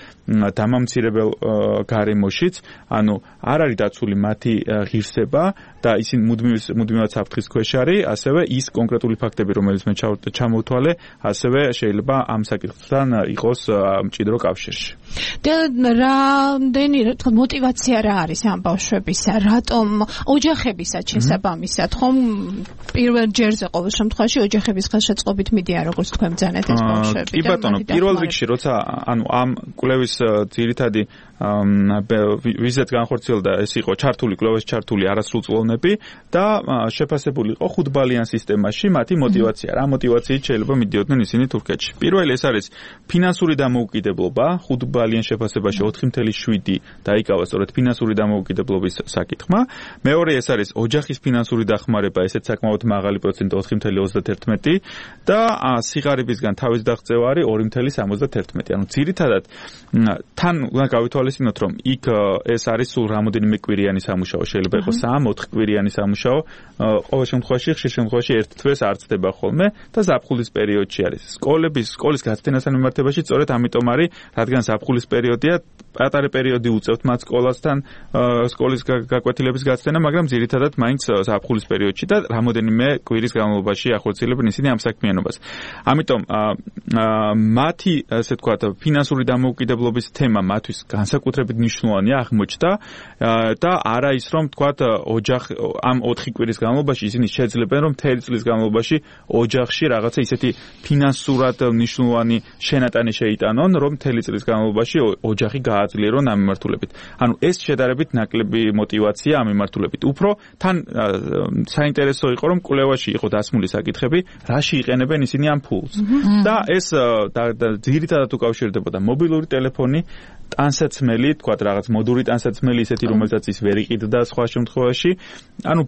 დამამცირებელ გარემოშიც, ანუ არ არის დაცული მათი ღირსება და ისინი მუდმივად საფრთხის ქვეშ არის, ასევე ის კონკრეტული ფაქტები, რომელიც მე ჩამოვთვალე, ასევე შეიძლება ამ საკითხთან იყოს მჭიდრო კავშირში. და რამდენი мотивация რა არის ამ ბავშვებისა, რატომ ოჯახებისაც შესაბამისად, ხომ პირველ ჯერზე ყოველ შემთხვევაში ოჯახების ხელშეწყობით მიდიან, როგორც თქვენ ბრძანეთ ეს ბავშვები. კი ბატონო, პირველ რიგში როცა ამ კვლევის ძირითადი ვიზეთ განხორციელდა, ეს იყო კვლევის ჩართული არასრულწლოვნები და შეფასებული იყო 5 ბალიან სისტემაში მათი мотивация. რა мотивაციით შეიძლება მიდიოდნენ ისინი თურქეთში? პირველი ეს არის ფინანსური დამოუკიდებლობა, 5 ბალიან შეფასებაში 4.7 დაიკავა სწორედ ფინანსური დამოუკიდებლობის საკითხმა. მეორე ეს არის ოჯახის ფინანსური დახმარება, ესეც საკმაოდ მაღალი პროცენტი 4.31 და სიღარიბისგან თავის დაღწევა არის 2.71. ანუ ძირითადად თან უნდა გავითვალისწინოთ, რომ იქ ეს არის სულ რამოდენიმე კვირიანი სამუშაო, შეიძლება იყოს 3-4 კვირიანი სამუშაო, ყოველ შემთხვევაში ხშირ შემთხვევაში ერთ თვეს არ წდება ხოლმე და ზაფხულის პერიოდში არის. სკოლის გაწდენასთან მიმართებაში სწორედ ამიტომ არის, რადგან ზაფხულის პერიოდია, პატარა პერიოდი უწევთ მათ სკოლასთან, სკოლის გაკვეთილების გაწდენა, მაგრამ ძირითადად მაინც ზაფხულის პერიოდში და რამოდენიმე კვირის განმავლობაში ახორციელებენ ისინი ამ საქმიანობას. ამიტომ მათი, ასე ვთქვათ, ფინანსური დამოუკიდებლობის თემა მათთვის განსაკუთრებით მნიშვნელოვანია აღმოჩნდა და არა ის რომ ვთქვათ ამ 4 კვირის განმავლობაში ისინი შეძლებენ რომ 1 წლის განმავლობაში ოჯახში რაღაცა ისეთი ფინანსურად მნიშვნელოვანი შენატანი შეიტანონ, რომ 1 წლის განმავლობაში ოჯახი გააძლიერონ ამ მიმართულებით. ანუ ეს შედარებით ნაკლები мотивация ამ მიმართულებით. უფრო თან საინტერესო იყო რომ კვლევაში იყო დასმული საკითხები, რაში იყენებენ ისინი ამ ფულს. და ეს ძირითადად უკავშირდებოდა მობილური ტელეფონი, ტანსაცმელი, თქვათ რაღაც მოდური ტანსაცმელი ისეთი, რომელსაც ის ვერ იყიდდა სხვა შემთხვევაში. ანუ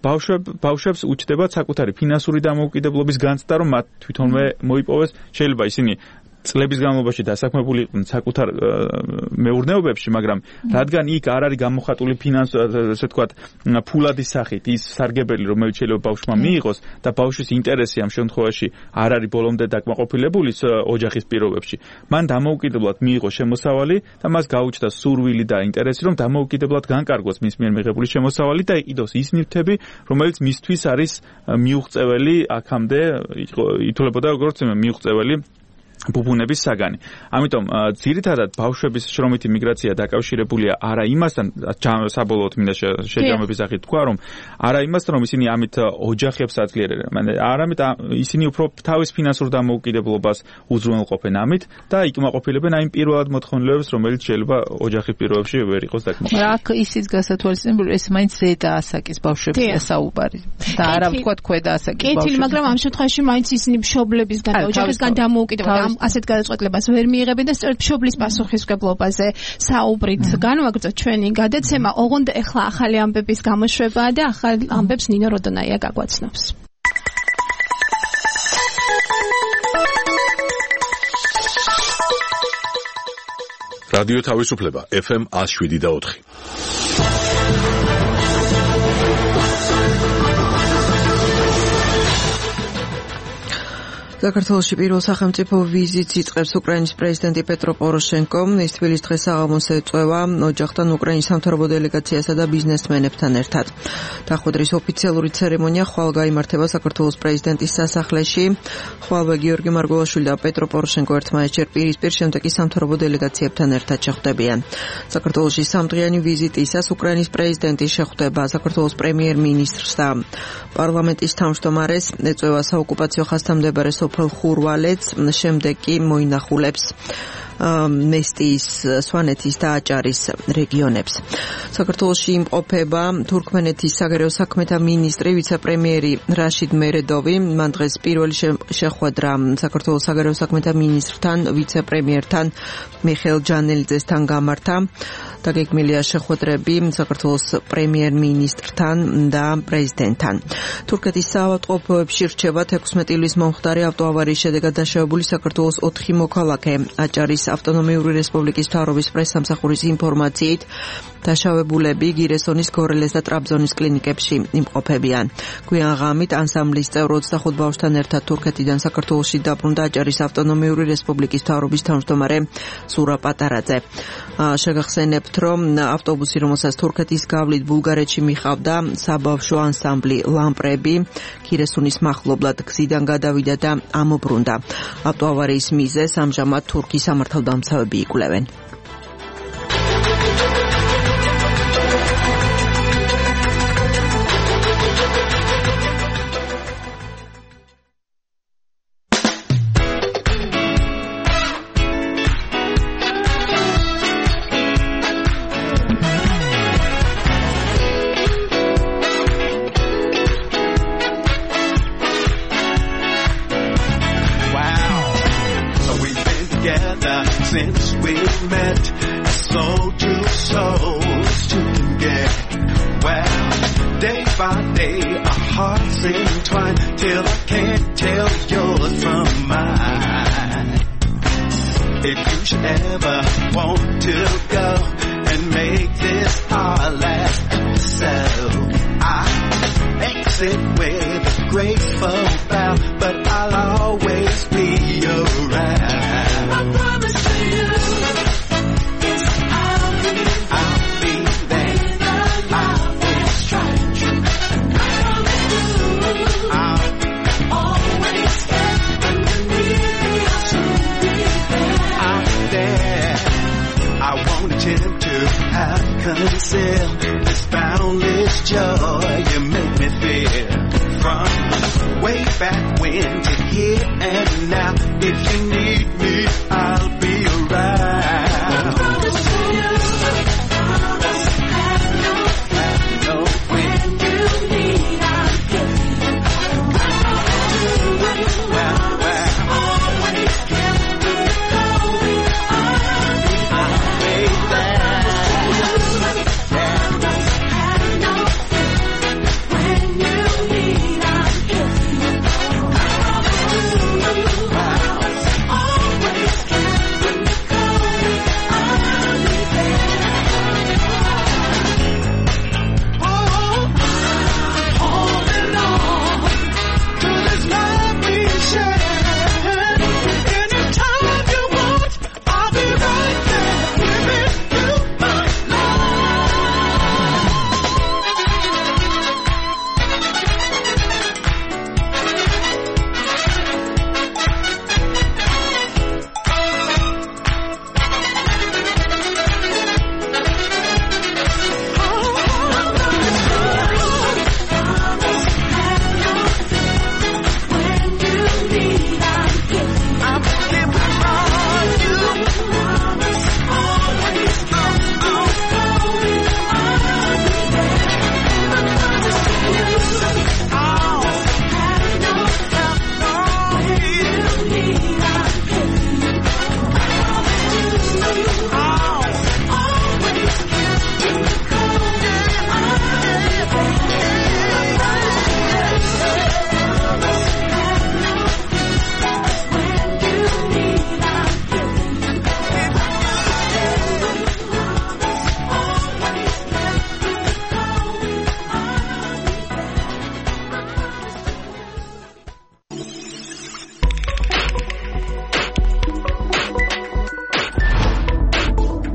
ბავშვებს უჩნდებათ საკუთარი ფინანსური დამოუკიდებლობის განცდა, რომ მათ თვითონვე მოიპოვეს. შეიძლება ისინი წლების განმავლობაში დასაქმებული იყვნენ საკუთარ მეურნეობებში, მაგრამ რადგან იქ არ არის გამოხატული ასე ვთქვათ, ფულადის სახით ის სარგებელი, რომელიც შეიძლება ბავშვმა მიიღოს და ბავშვის ინტერესი ამ შემთხვევაში არ არის ბოლომდე დაკმაყოფილებული ოჯახის პირობებში. მან დამოუკიდებლად მიიღო შემოსავალი და მას გაუჩნდა სურვილი და ინტერესი, რომ დამოუკიდებლად განკარგოს მის მიერ მიღებული შემოსავალი და იყიდოს ის ნივთები, რომელიც მისთვის არის მიუღწეველი აქამდე ითვლებოდა როგორც მიუღწეველი ბუბუნების საგანი. ამიტომ ძირითადად ბავშვების შრომითი მიგრაცია დაკავშირებულია არა იმასთან, საბოლოოდ მინდა შეჯამების სახით თქვა, რომ არა იმასთან, რომ ისინი ამით ოჯახებს აძლიერებენ, არამედ ისინი უფრო თავის ფინანსურ დამოუკიდებლობას უზრუნველყოფენ ამით და იკმაყოფილებენ იმ პირველად მოთხოვნილებებს, რომელიც შეიძლება ოჯახის პირობებში ვერ იყოს დაკმაყოფილებული. აქ ისიც გასათვალისწინებული, ეს მაინც ზედა ასაკის ბავშვებია საუბარი და არა ვთქვათ ქვედა ასაკის ბავშვები. კეთილი, მაგრამ ამ შემთხვევაში მაინც ისინი მშობლებისგან და ოჯახისგან დამოუკიდებლად ასეთ გადაწყვეტილებას ვერ მიიღებენ და სწორედ მშობლის პასუხისმგებლობაზე საუბრით განვაგრძოთ ჩვენი გადაცემა. ოღონდ ახლა ახალი ამბების გამოშვებაა და ახალ ამბებს ნინო როდონაია გაგვაცნობს. რადიო თავისუფლება FM 107.4. საქართველოში პირველ სახელმწიფო ვიზიტს იწყებს უკრაინის პრეზიდენტი პეტრო პოროშენკო. ის თბილის დღეს საღამოს ეწევა ოჯახთან უკრაინის სამთავრობო დელეგაციასა და ბიზნესმენებთან ერთად. დახვედრის ოფიციალური ცერემონია ხვალ გაიმართება საქართველოს პრეზიდენტის სასახლეში. ხვალვე გიორგი მარგველაშვილი და პეტრო პოროშენკო ერთმანეთს პირისპირ, შემდეგ კი სამთავრობო დელეგაციებთან ერთად შეხვდებიან. საქართველოში სამდღიანი ვიზიტისას უკრაინის პრეზიდენტი შეხვდება საქართველოს პრემიერ-მინისტრს და პარლამენტის თავმჯდომარეს, ეწევა საოკუპაციო ხაზთამდებარე სოფელ ხურვალეთს, შემდეგ კი მოინახულებს მესტიის, სვანეთის და აჭარის რეგიონებს. საქართველოში იმყოფება თურქმენეთის საგარეო საქმეთა მინისტრი, ვიცე-პრემიერი რაშიდ მერედოვი. მან დღეს პირველი შეხვედრა საქართველოს საგარეო საქმეთა მინისტრთან, ვიცე-პრემიერთან მიხეილ ჯანელიძესთან გამართა. დაგეგმილია შეხვედრები საქართველოს პრემიერ-მინისტრთან და პრეზიდენტთან. თურქეთის საავადმყოფოებში რჩება 16 ივლის მომხდარი ავტოავარიის შედეგად დაშავებული საქართველოს 4 მოქალაქე. აჭარის ავტონომიური რესპუბლიკის მთავრობის პრესსამსახურის ინფორმაციით დაშავებულები გირესონის, გორელეს და ტრაბზონის კლინიკებში იმყოფებიან. გვიან ღამით ანსამბლის წევრ 25 ბავშვთან ერთად თურქეთიდან საქართველოში დაბრუნდა აჭარის ავტონომიური რესპუბლიკის მთავრობის თავმჯდომარე ზურა პატარაძე. შეგახსენებთ, რომ ავტობუსი, რომელსაც თურქეთის გავლით ბულგარეთში მიხავდა საბავშვო ანსამბლი ლამპრები, გირესონის მახლობლად გზიდან გადავიდა და ამობრუნდა. ავტოავარიის მიზეზს ამჟამად თურქის სამართალდამცავები იკვლევენ.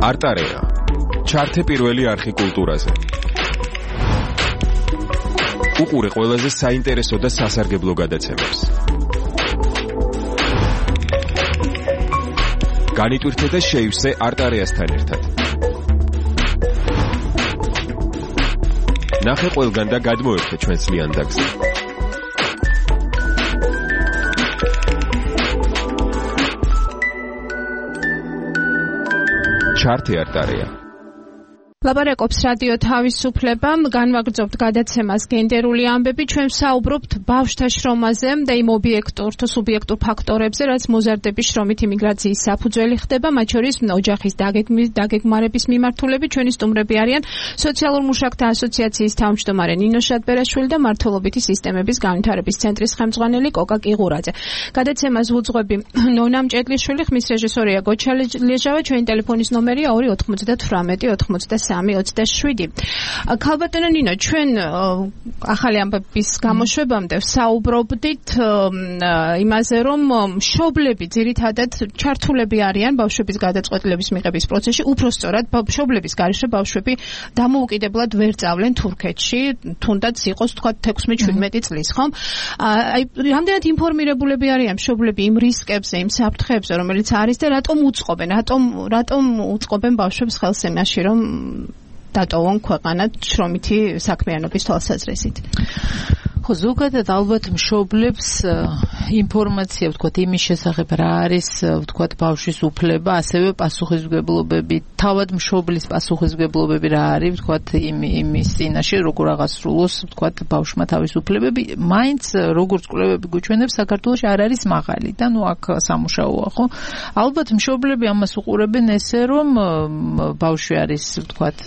არტარეა. ჩართე პირველი არხი კულტურაზე. უყურე ყველაზე საინტერესო და სასარგებლო გადაცემებს. განიტვირთე და შეივსე არტარეასთან ერთად. ნახე ყველგან და გადმოერთე ჩვენს ლიანდაგზე. ჩართე არტარეა. ლაპარაკობს რადიო თავისუფლება, განვაგრძობთ გადაცემას გენდერული ამბები, ჩვენ ვსაუბრობთ ბავშვთა შრომაზე და იმ ობიექტურ თუ სუბიექტურ ფაქტორებზე, რაც მოზარდების შრომით იმიგრაციის საფუძველი ხდება, მათ შორის ოჯახის დაგეგმარების მიმართულებით. ჩვენი სტუმრები არიან სოციალურ მუშაკთა ასოციაციის თავმჯდომარე ნინო შატბერაშვილი და მართლობითი სისტემების განვითარების ცენტრის ხელმძღვანელი კოკა კიღურაძე. გადაცემას ვუძღვები ნონა მჭედლიშვილი, ხმის რეჟისორია გოჩა ლეჟავა, ჩვენი ტელეფონის ნომერია 298 327. ქალბატონო ნინო, ჩვენ ახალი ამბების გამოშვებამდე ვსაუბრობდით იმაზე, რომ მშობლები ძირითადად ჩართულები არიან ბავშვების გადაწყვეტილების მიღების პროცესში, უпростоრად მშობლების გარეშე ბავშვები დამოუკიდებლად ვერ წავლენ თურქეთში, თუნდაც იყოს თქვა 16-17 წლის, ხომ? აი, რამდენად ინფორმირებულები არიან მშობლები იმ რისკებზე, იმ საფრთხეებზე, რომელიც არის და რატომ უწყობენ? რატომ უწყობენ ბავშვებს ხელს იმაში, რომ დატოვონ ქვეყანა შრომითი საქმიანობის თვალსაზრისით? ხო, ზოგადად ალბათ მშობლებს ინფორმაცია, ვთქვათ, იმის შესახებ რა არის, ვთქვათ, ბავშვის უფლება, ასევე პასუხისმგებლობები, თავად მშობლის პასუხისმგებლობები რა არის, ვთქვათ, იმის წინაშე, როგორ აღასრულოს, ვთქვათ, ბავშვმა თავის უფლებები, მაინც როგორც კვლევები გვიჩვენებს, საქართველოში არ არის მაღალი და ნუ აქ სამუშაოა, ხო? ალბათ მშობლები ამას უყურებენ ესე, რომ ბავშვი არის, ვთქვათ,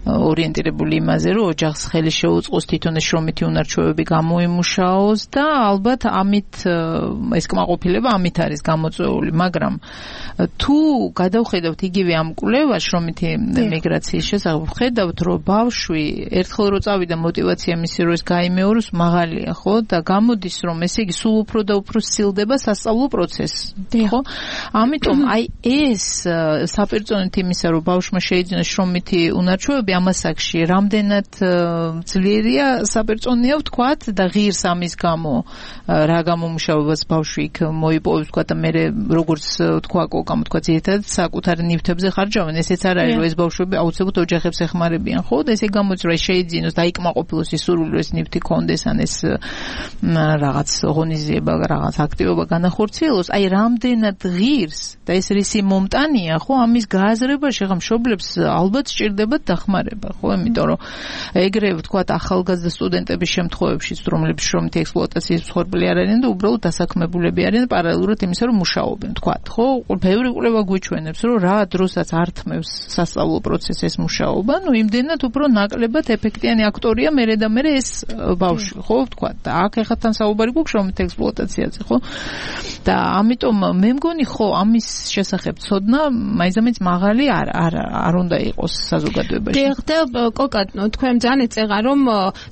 ორიენტირებული იმაზე, რომ ოჯახს ხელი შეუწყოს თვითონ შრომითი უნარჩვევები გამოიმუშაოს და ალბათ ამით ეს კმაყოფილება ამით არის გამოწვეული, მაგრამ თუ გადავხედავთ იგივე ამ კვლევას შრომითი მიგრაციის შესახებ, ხედავთ, რომ ბავშვი ერთხელ რო წავიდა мотиваცია მისი რო ეს გაიმეოროს მაღალია, ხო? და გამოდის, რომ ესე იგი სულ უფრო და უფრო სცილდება სასწავლო პროცესი, ხო? ამიტომ აი ეს საპირწონით იმისა, რომ ბავშვმა შეიძინოს შრომითი უნარჩვევები ამ ასაკში, რამდენად ძლიერია საპირწონია ვთქვათ და ღირს ამის გამო რა გამომუშავებას ბავშვი იქ მოიპოვებს ვთქვათ და მე როგორც თქვა კოკამ ვთქვათ ძირითადად საკუთარი ნივთებზე ხარჯავენ, ესეც არ არის რომ ეს ბავშვები აუცილებლად ოჯახებს ეხმარებიან, ხო? და ესე გამოიწვია შეიძინოს და იკმაყოფილოს ის სურვილი რომ ეს ნივთი კონდეს ან ეს რაღაც ღონისძიება, რაღაც აქტივობა განახორციელოს, აი რამდენად ღირს და ეს რისი მომტანია, ხო? ამის გააზრებაში ხა მშობლებს ალბათ სჭირდებათ დახმარება, ხო? იმიტომ რომ ეგრე ვთქვათ ახალგაზრდა სტუდენტების შემთხვევებშიც, რომლებიც შრომითი ექსპლუატაციის მსხვერპლი არ არიან და უბრალოდ დასაქმებულები არიან პარალელურად იმისა, რომ მუშაობენ, ვთქვათ, ხო? ბევრი კვლევა გვიჩვენებს, რომ რა დროსაც ართმევს სასწავლო პროცესს ეს მუშაობა, ნუ იმდენად უფრო ნაკლებად ეფექტიანი აქტორია მერე და მერე ეს ბავშვი, ხო, ვთქვათ. და აქ ეხლა თან საუბარი გვაქვს შრომითი ექსპლუატაციაზე, ხო? და ამიტომ მე მგონი, ხო, ამის შესახებ ცოდნა მაინც მაღალი არ უნდა იყოს საზოგადოებაში. დიახ, და კოკა, თქვენ ძალიან ეწეღა, რომ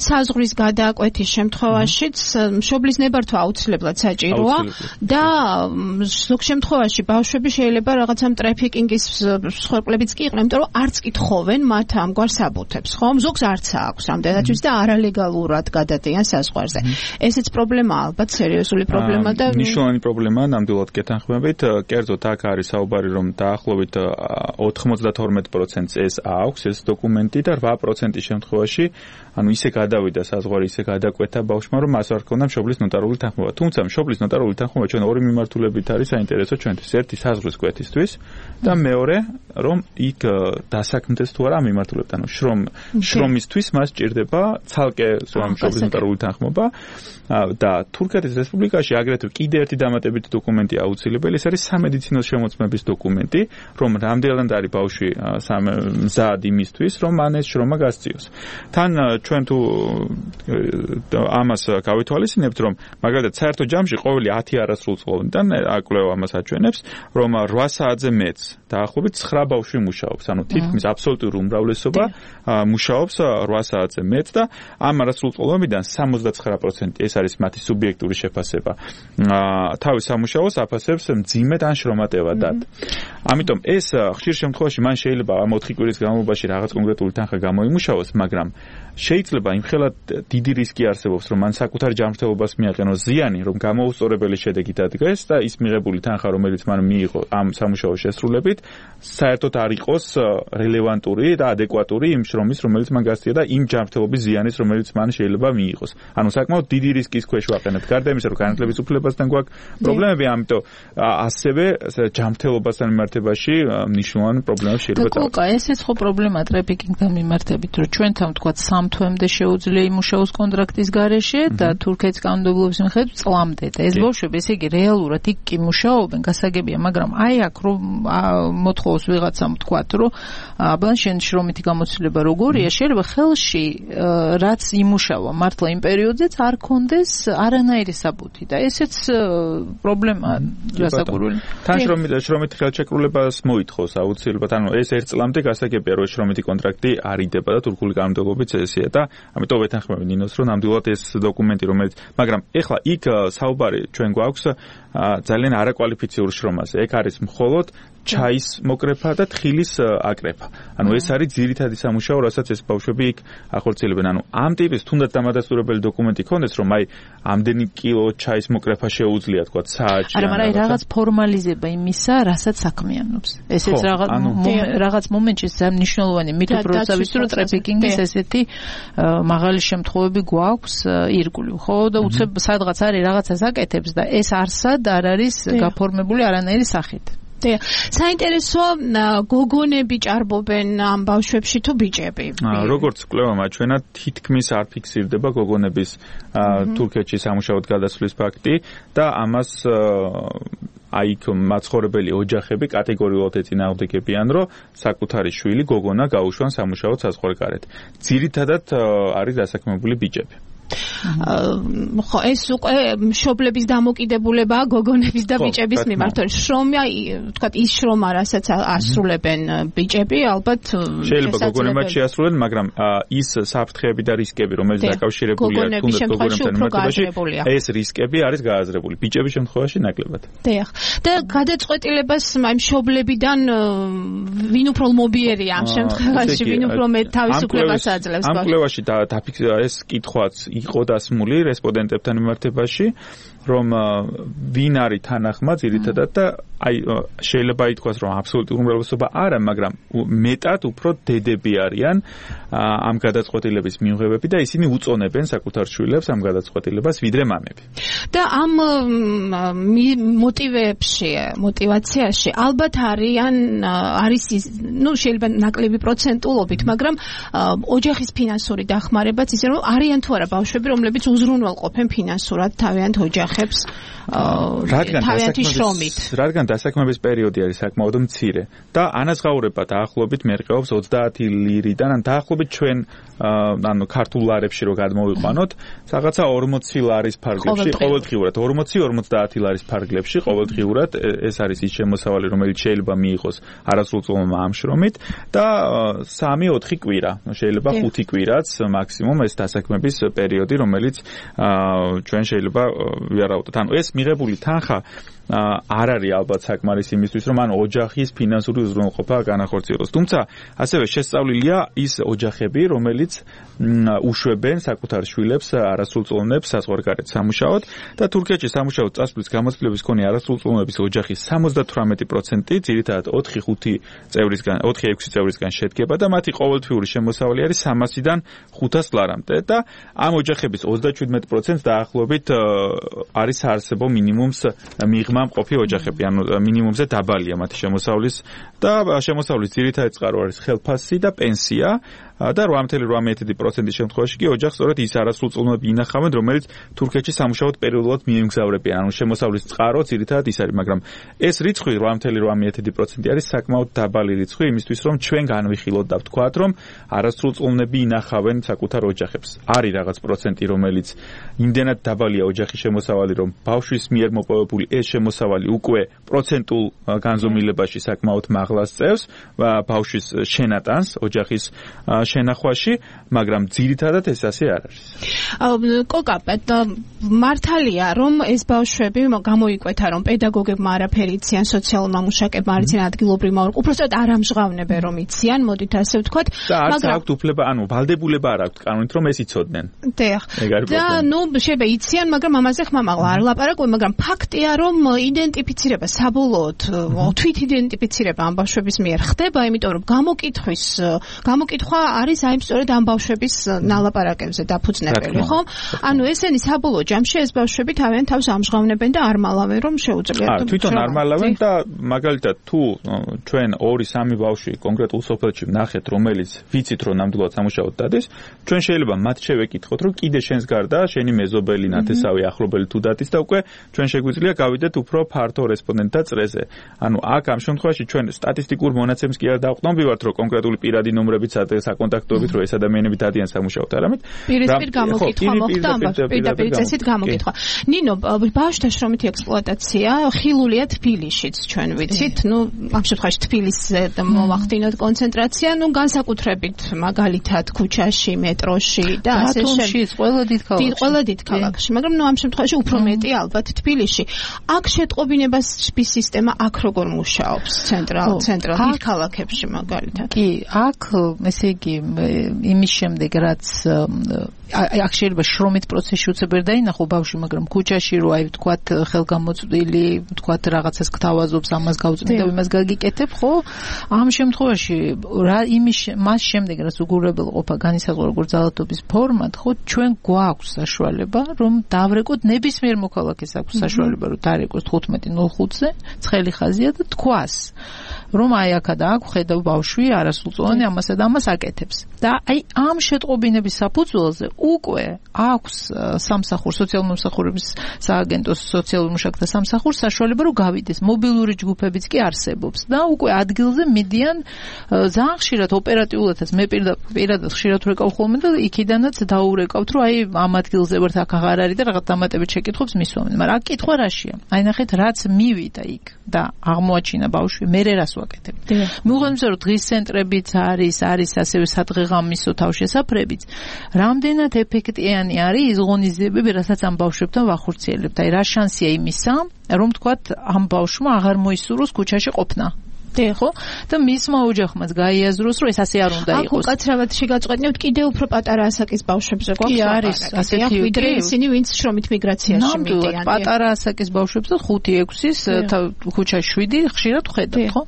საზღვრის გადააკვეთის შემთხვევაშიც მშობლის ნებართვა აუცილებლად საჭიროა და ზოგ შემთხვევაში ბავშვები შეიძლება რაღაცამ ტრაფიკინგის მსხვერპლებიც კი იყვნენ, იმიტომ რომ არც კი თხოვენ მათ ამგვარ საბუთებს, ხო? ზოგს არც აქვს ამდენადაც და არალეგალურად გადადიან საზღვარზე. ესეც პრობლემაა, ალბათ სერიოზული პრობლემა და მნიშვნელოვანი პრობლემაა, ნამდვილად გეთანხმებით. კერძოდ აქ არის საუბარი, რომ დაახლოებით 92%-ს ეს აქვს ეს დოკუმენტი და 8% შემთხვევაში ანუ ისე გადავიდა საზღვარი, ისე გადაკვეთა ბავშვმა, რომ მას არ ჰქონდა მშობლის ნოტარული თანხმობა. თუმცა მშობლის ნოტარული თანხმობა ჩვენ ორი მიმართულებით არის საინტერესო ჩვენთვის. ერთი საზღვრის კვეთისთვის და მეორე, რომ იქ დასაქმდეს თუ არა მიმართულებით. ანუ შრომისთვის მას სჭირდება ცალკე მშობლის ნოტარული თანხმობა და თურქეთის რესპუბლიკაში აგრეთვე კიდე ერთი დამატებითი დოკუმენტი აუცილებელი, ეს არის სამედიცინო შემოწმების დოკუმენტი, რომ რამდენად არის ბავშვი მზად იმისთვის, რომ მან ეს შრომა გასწიოს. თან ჩვენ თუ ამას გავითვალისწინებთ, რომ მაგალითად საერთო ჯამში ყოველი 10 არასრულწლოვანიდან აკვლევა ამას აჩვენებს, რომ 8 საათზე მეტს დაახლოებით 9 ბავშვი მუშაობს. ანუ თითქმის აბსოლუტური უმრავლესობა მუშაობს 8 საათზე მეტ და ამ არასრულწლოვანებიდან 79% ეს არის მათი სუბიექტური შეფასება. თავის სამუშაოს აფასებს მძიმედ ან შრომატევადად. ამიტომ ეს ხშირ შემთხვევაში მან შეიძლება ამ 4 კვირის განმავლობაში რაღაც კონკრეტული თანხა გამოიმუშაოს, მაგრამ შეიძლება იმხელად დიდი რისკი არსებობს, რომ მან საკუთარ ჯანმრთელობას მიაყენოს ზიანი, რომ გამოუსწორებელი შედეგი დადგეს და ის მიღებული თანხა, რომელიც მან მიიღო ამ სამუშაოს შესრულებით, საერთოდ არ იყოს რელევანტური და ადეკვატური იმ შრომის, რომელიც მან გასწია და იმ ჯანმრთელობის ზიანის, რომელიც მან შეიძლება მიიღოს. ანუ საკმაოდ დიდი რისკის ქვეშ ვაყენებთ. გარდა იმისა, რომ განათლების უფლებასთან გვაქვს პრობლემები, ამიტომ ასევე ჯანმრთელობასთან მიმართებაში მნიშვნელოვანი პრობლემები შეიძლება დავწერთ. და ესეც ხო პრობლემაა ტრაფიკინგთან მიმართებით, რომ ჩვენთან ვთქვათ 3 თვემდე შეუძლია იმუშაოს კონტრაქტის გარეშე და თურქეთის კანონმდებლობის მიხედვით წლამდე. და ეს ბავშვები, ესე იგი, რეალურად იქ კი მუშაობენ, გასაგებია, მაგრამ აი აქ რომ მოთხოვს ვიღაცამ ვთქვათ, რომ აბა შენ შრომითი გამოცდილება როგორია, შეიძლება ხელში რაც იმუშავა მართლა იმ პერიოდზეც არ კონდეს არანაირი საბუთი და ესეც პრობლემაა გასაგურული. თან შრომითი ხელშეკრულებას მოითხოვს აუცილებლად, ანუ ეს 1 წლამდე გასაგებია, რომ შრომითი კონტრაქტი არ იდება და თურქული კანონმდებლობით ესეა და ამიტომ ვეთანხმები ნინოს, რომ ნამდვილად ეს დოკუმენტი, რომელიც, მაგრამ ეხლა იქ საუბარი ჩვენ გვაქვს ძალიან არაკვალიფიციურ შრომაზე. ეგ არის მხოლოდ ჩაის მოკრეფა და თხილის აკრეფა. ანუ ეს არის ძირითადი სამუშაო, რასაც ეს ბავშვები იქ ახორციელებენ. ანუ ამ ტიპის თუნდაც დამადასტურებელი დოკუმენტი ქონდეს, რომ აი ამდენი კილო ჩაის მოკრეფა შეუძლია, თქვა, საათში. არა, მაგრამ რაღაც ფორმალიზება იმისა, რასაც საქმიანობს. ესეც რაღაც მომენტში ძალიან მნიშვნელოვანი მითითროსავის რომ ტრაფიკინგის ესეთი მაღალი შემთხვევები გვაქვს ირგვლივ, ხო? და უცებ სადღაც არის რაღაცას აკეთებს და ეს არსად არ არის გაფორმებული არანაირი სახით. საინტერესოა გოგონები ჭარბობენ ამ ბავშვებში თუ ბიჭები? როგორც კვლევამ აჩვენა, თითქმის არ ფიქსირდება გოგონების თურქეთში სამუშაოდ გადასვლის ფაქტი და ამას აი მაცხოვრებელი ოჯახები კატეგორიულად ეწინააღმდეგებიან, რომ საკუთარი შვილი გოგონა გაუშვან სამუშაოდ საზღვარგარეთ. ძირითადად არის დასაქმებული ბიჭები. ხო, ეს უკვე მშობლების დამოკიდებულებაა გოგონების და ბიჭების მიმართ. შრომა, თქვათ, ის შრომა, რასაც ასრულებენ ბიჭები, ალბათ შეიძლება გოგონებმა შეასრულեն, მაგრამ ის საფრთხეები და რისკები, რომელიც დაკავშირებულია თუნდაც გოგონებთან მიმართებაში, ეს რისკები არის გააზრებული. ბიჭების შემთხვევაში ნაკლებად. დიახ. და გადაწყვეტილებას აი მშობლებიდან ვინ უფრო ლმობიერია ამ შემთხვევაში, ვინ უფრო მეტ თავისუფლებას აძლევს? ამ კვლევაში ეს კითხვაც იყო დასმული რესპონდენტებთან მიმართებაში, რომ ვინ არის თანახმა ძირითადად და აი შეიძლება ითქვას, რომ აბსოლუტური უმრავლესობა არა, მაგრამ მეტად უფრო დედები არიან ამ გადაწყვეტილების მიუღებები და ისინი უწონებენ საკუთარ შვილებს ამ გადაწყვეტილებას ვიდრე მამები. და ამ мотивацияში ალბათ არის შეიძლება ნაკლები პროცენტულობით, მაგრამ ოჯახის ფინანსური დახმარებაც ისე რომ არიან თუ არა ბავშვები, რომლებიც უზრუნველყოფენ ფინანსურად თავიანთ ოჯახებს თავიანთი შრომით. რადგან დასაქმების პერიოდი არის საკმაოდ მცირე და ანაზღაურება დაახლოებით მერყეობს 30 ლირიდან, ან დაახლოებით ჩვენ ანუ ქართულ ლარებში რო გადმოვიყვანოთ, რაღაცა 40 ლარის ფარგლებში ყოველდღიურად 40-50 ლარის ფარგლებში ყოველდღიურად ეს არის ის შემოსავალი, რომელიც შეიძლება მიიღოს არასრულწლოვანმა ამ შრომით და 3-4 კვირა, შეიძლება 5 კვირაც მაქსიმუმ ეს დასაქმების პერიოდი, რომელიც ჩვენ შეიძლება ვიარავდოთ. ანუ ეს მიღებული თანხა არ არის ალბათ საკმარის იმისთვის, რომ ან ოჯახის ფინანსური უზრუნველყოფა განახორციელოს. თუმცა ასევე შესწავლილია ის ოჯახები, რომელიც უშვებენ საკუთარ შვილებს არასრულწლოვანებს საზღვარგარეთ სამუშაოდ და თურქეთში სამუშაოდ წასვლის გამოცდილების მქონე არასრულწლოვანების ოჯახის 78% ძირითადად 4-6 წევრისგან შედგება და მათი ყოველთვიური შემოსავალი არის 300-დან 500 ლარამდე და ამ ოჯახების 37% დაახლოებით არის საარსებო მინიმუმს მიღმა მყოფი ოჯახები, ანუ მინიმუმზე დაბალია მათი შემოსავლის და შემოსავლის ძირითადი წყარო არის ხელფასი და პენსია და 8.8% შემთხვევაში კი ოჯახს სწორედ ის არასრულწლოვნები ინახავენ, რომელიც თურქეთში სამუშაოდ პერიოდულად მიემგზავრებიან. ანუ შემოსავლის წყარო ძირითადად ის არის, მაგრამ ეს რიცხვი 8.8% არის საკმაოდ დაბალი რიცხვი იმისთვის, რომ ჩვენ განვიხილოთ და ვთქვათ, რომ არასრულწლოვნები ინახავენ საკუთარ ოჯახებს. არის რაღაც პროცენტი, რომელიც იმდენად დაბალია ოჯახის შემოსავალი, რომ ბავშვის მიერ მოპოვებული ეს შემოსავალი უკვე პროცენტულ განზომილებაში საკმაოდ მაღლას წევს ბავშვის შენატანს ოჯახის შენახვაში, მაგრამ ძირითადად ეს ასე არ არის. კოკა, მართალია, რომ ეს ბავშვები გამოიკვეთა, რომ პედაგოგებმა არაფერი იციან, სოციალურმა მუშაკებმა არ იციან, ადგილობრივმა უბრალოდ არ ამჟღავნებენ, რომ იციან, მოდით ასე ვთქვათ, მაგრამ აქვთ უფლება, ანუ ვალდებულება არ აქვთ კანონით, რომ ეს იცოდნენ. და შეიძლება იციან, მაგრამ ამაზე ხმამაღლა არ ლაპარაკობენ, მაგრამ ფაქტია, რომ იდენტიფიცირება საბოლოოდ თვით იდენტიფიცირება ამ ბავშვების მიერ ხდება, იმიტომ რომ გამოკითხვა არის აი სწორედ ამ ბავშვების ნალაპარაკებზე დაფუძნებელი, ხო? ანუ ესენი საბოლოო ჯამში ეს ბავშვები თავიანთ თავს ამჟღავნებენ და არ მალავენ, რომ შეუძლიათ. თვითონ არ მალავენ და მაგალითად თუ ჩვენ 2-3 ბავშვი კონკრეტულ სოფელში ვნახეთ, რომელიც ვიცით, რომ ნამდვილად სამუშაოდ დადის, ჩვენ შეიძლება მათ შევეკითხოთ, რომ კიდე შენს გარდა შენი მეზობელი, ნათესავი, ახლობელი თუ დადის და უკვე ჩვენ შეგვიძლია გავიდეთ უფრო ფართო რესპონდენტთა წრეზე. ანუ აქ ამ შემთხვევაში ჩვენ სტატისტიკურ მონაცემს კი არ დავყნობივართ, რომ კონკრეტული პირადი ნომრებით საკონტაქტოებით რომ ეს ადამიანები დადიან სამუშაოდ, არამედ პირისპირ გამოკითხვა მოხდა, პირდაპირ წესით გამოკითხვა. ნინო, ბავშვთა შრომითი ექსპლუატაცია ხილულია თბილისშიც, ჩვენ ვიცით, ამ შემთხვევაში თბილისზე მოვახდინოთ კონცენტრაცია, განსაკუთრებით მაგალითად ქუჩაში, მეტროში და ასე შემდეგ. ყველა დიდ ქალაქში, მაგრამ ამ შემთხვევაში უფრო მეტი ალბათ თბილისში. აქ შეტყობინებას სისტემა აქ როგორ მუშაობს ცენტრალ დიდ ქალაქებში მაგალითად? კი, აქ ესე იგი იმის შემდეგ რაც აქ შეიძლება შრომით პროცესში უცებ ვერ დაინახო ბავშვი, მაგრამ ქუჩაში რო აი ვთქვათ ხელგამოწვდილი, ვთქვათ რაღაცას გთავაზობს, ამას გავწმინდა, იმას გაგიკეთებ, ხო? ამ შემთხვევაში მას შემდეგ რაც უგულებელ ყოფა განისაზღვრა როგორც ძალადობის ფორმად, ხო, ჩვენ გვაქვს საშუალება, რომ დავრეკოთ ნებისმიერ მოქალაქეს აქვს საშუალება, რომ დარეკოს 15:05-ზე, ცხელი ხაზია და თქვას, რომ აი აქა და აქ ხედავ ბავშვი არასრულწლოვანი ამასა და ამას აკეთებს. და აი ამ შეტყობინების საფუძველზე უკვე აქვს სამსახურ სოციალურ-მომსახურების სააგენტოს სოციალურ მუშაკთა სამსახურს საშუალება რომ გავიდეს. მობილური ჯგუფებიც კი არსებობს და უკვე ადგილზე მიდიან ძალიან ხშირად ოპერატიულადაც მე პირადად ხშირად ვrekav ხოლმე და იქიდანაც დაურეკავთ რომ აი ამ ადგილზე ვართ აქ აღარ არის და რაღაც დამატებით შეკითხვებს მისვამენ. მაგრამ აქ კითხვა რაშია? აი ნახეთ რაც მივიდა იქ და აღმოაჩინა ბავშვი მე რას ვაკეთებ. მიუხედავად რომ დღის ცენტრებიც არის ასევე სადღეღამისო თავშესაფრებიც, რამდენად ეფექტიანი არის ის ღონისძიებები, რასაც ამ ბავშვებთან ვახორციელებთ. აი რა შანსია იმისა, რომ თქვათ ამ ბავშვმა აღარ მოისურვოს ქუჩაში ყოფნა. ხო? და მისმა ოჯახმაც გაიაზროს, რომ ეს ასე არ უნდა იყოს. აქ უკაცრავად შეგაწყვეტნებთ კიდევ უფრო პატარა ასაკის ბავშვებზე გვაქვს. კი არის, ასეთი ვიდრე ისინი, ვინც შრომით მიგრაციაში მიდიან. პატარა ასაკის ბავშვებს და 5-6-ის ქუჩაში 7 ხშირად ხედავთ, ხო?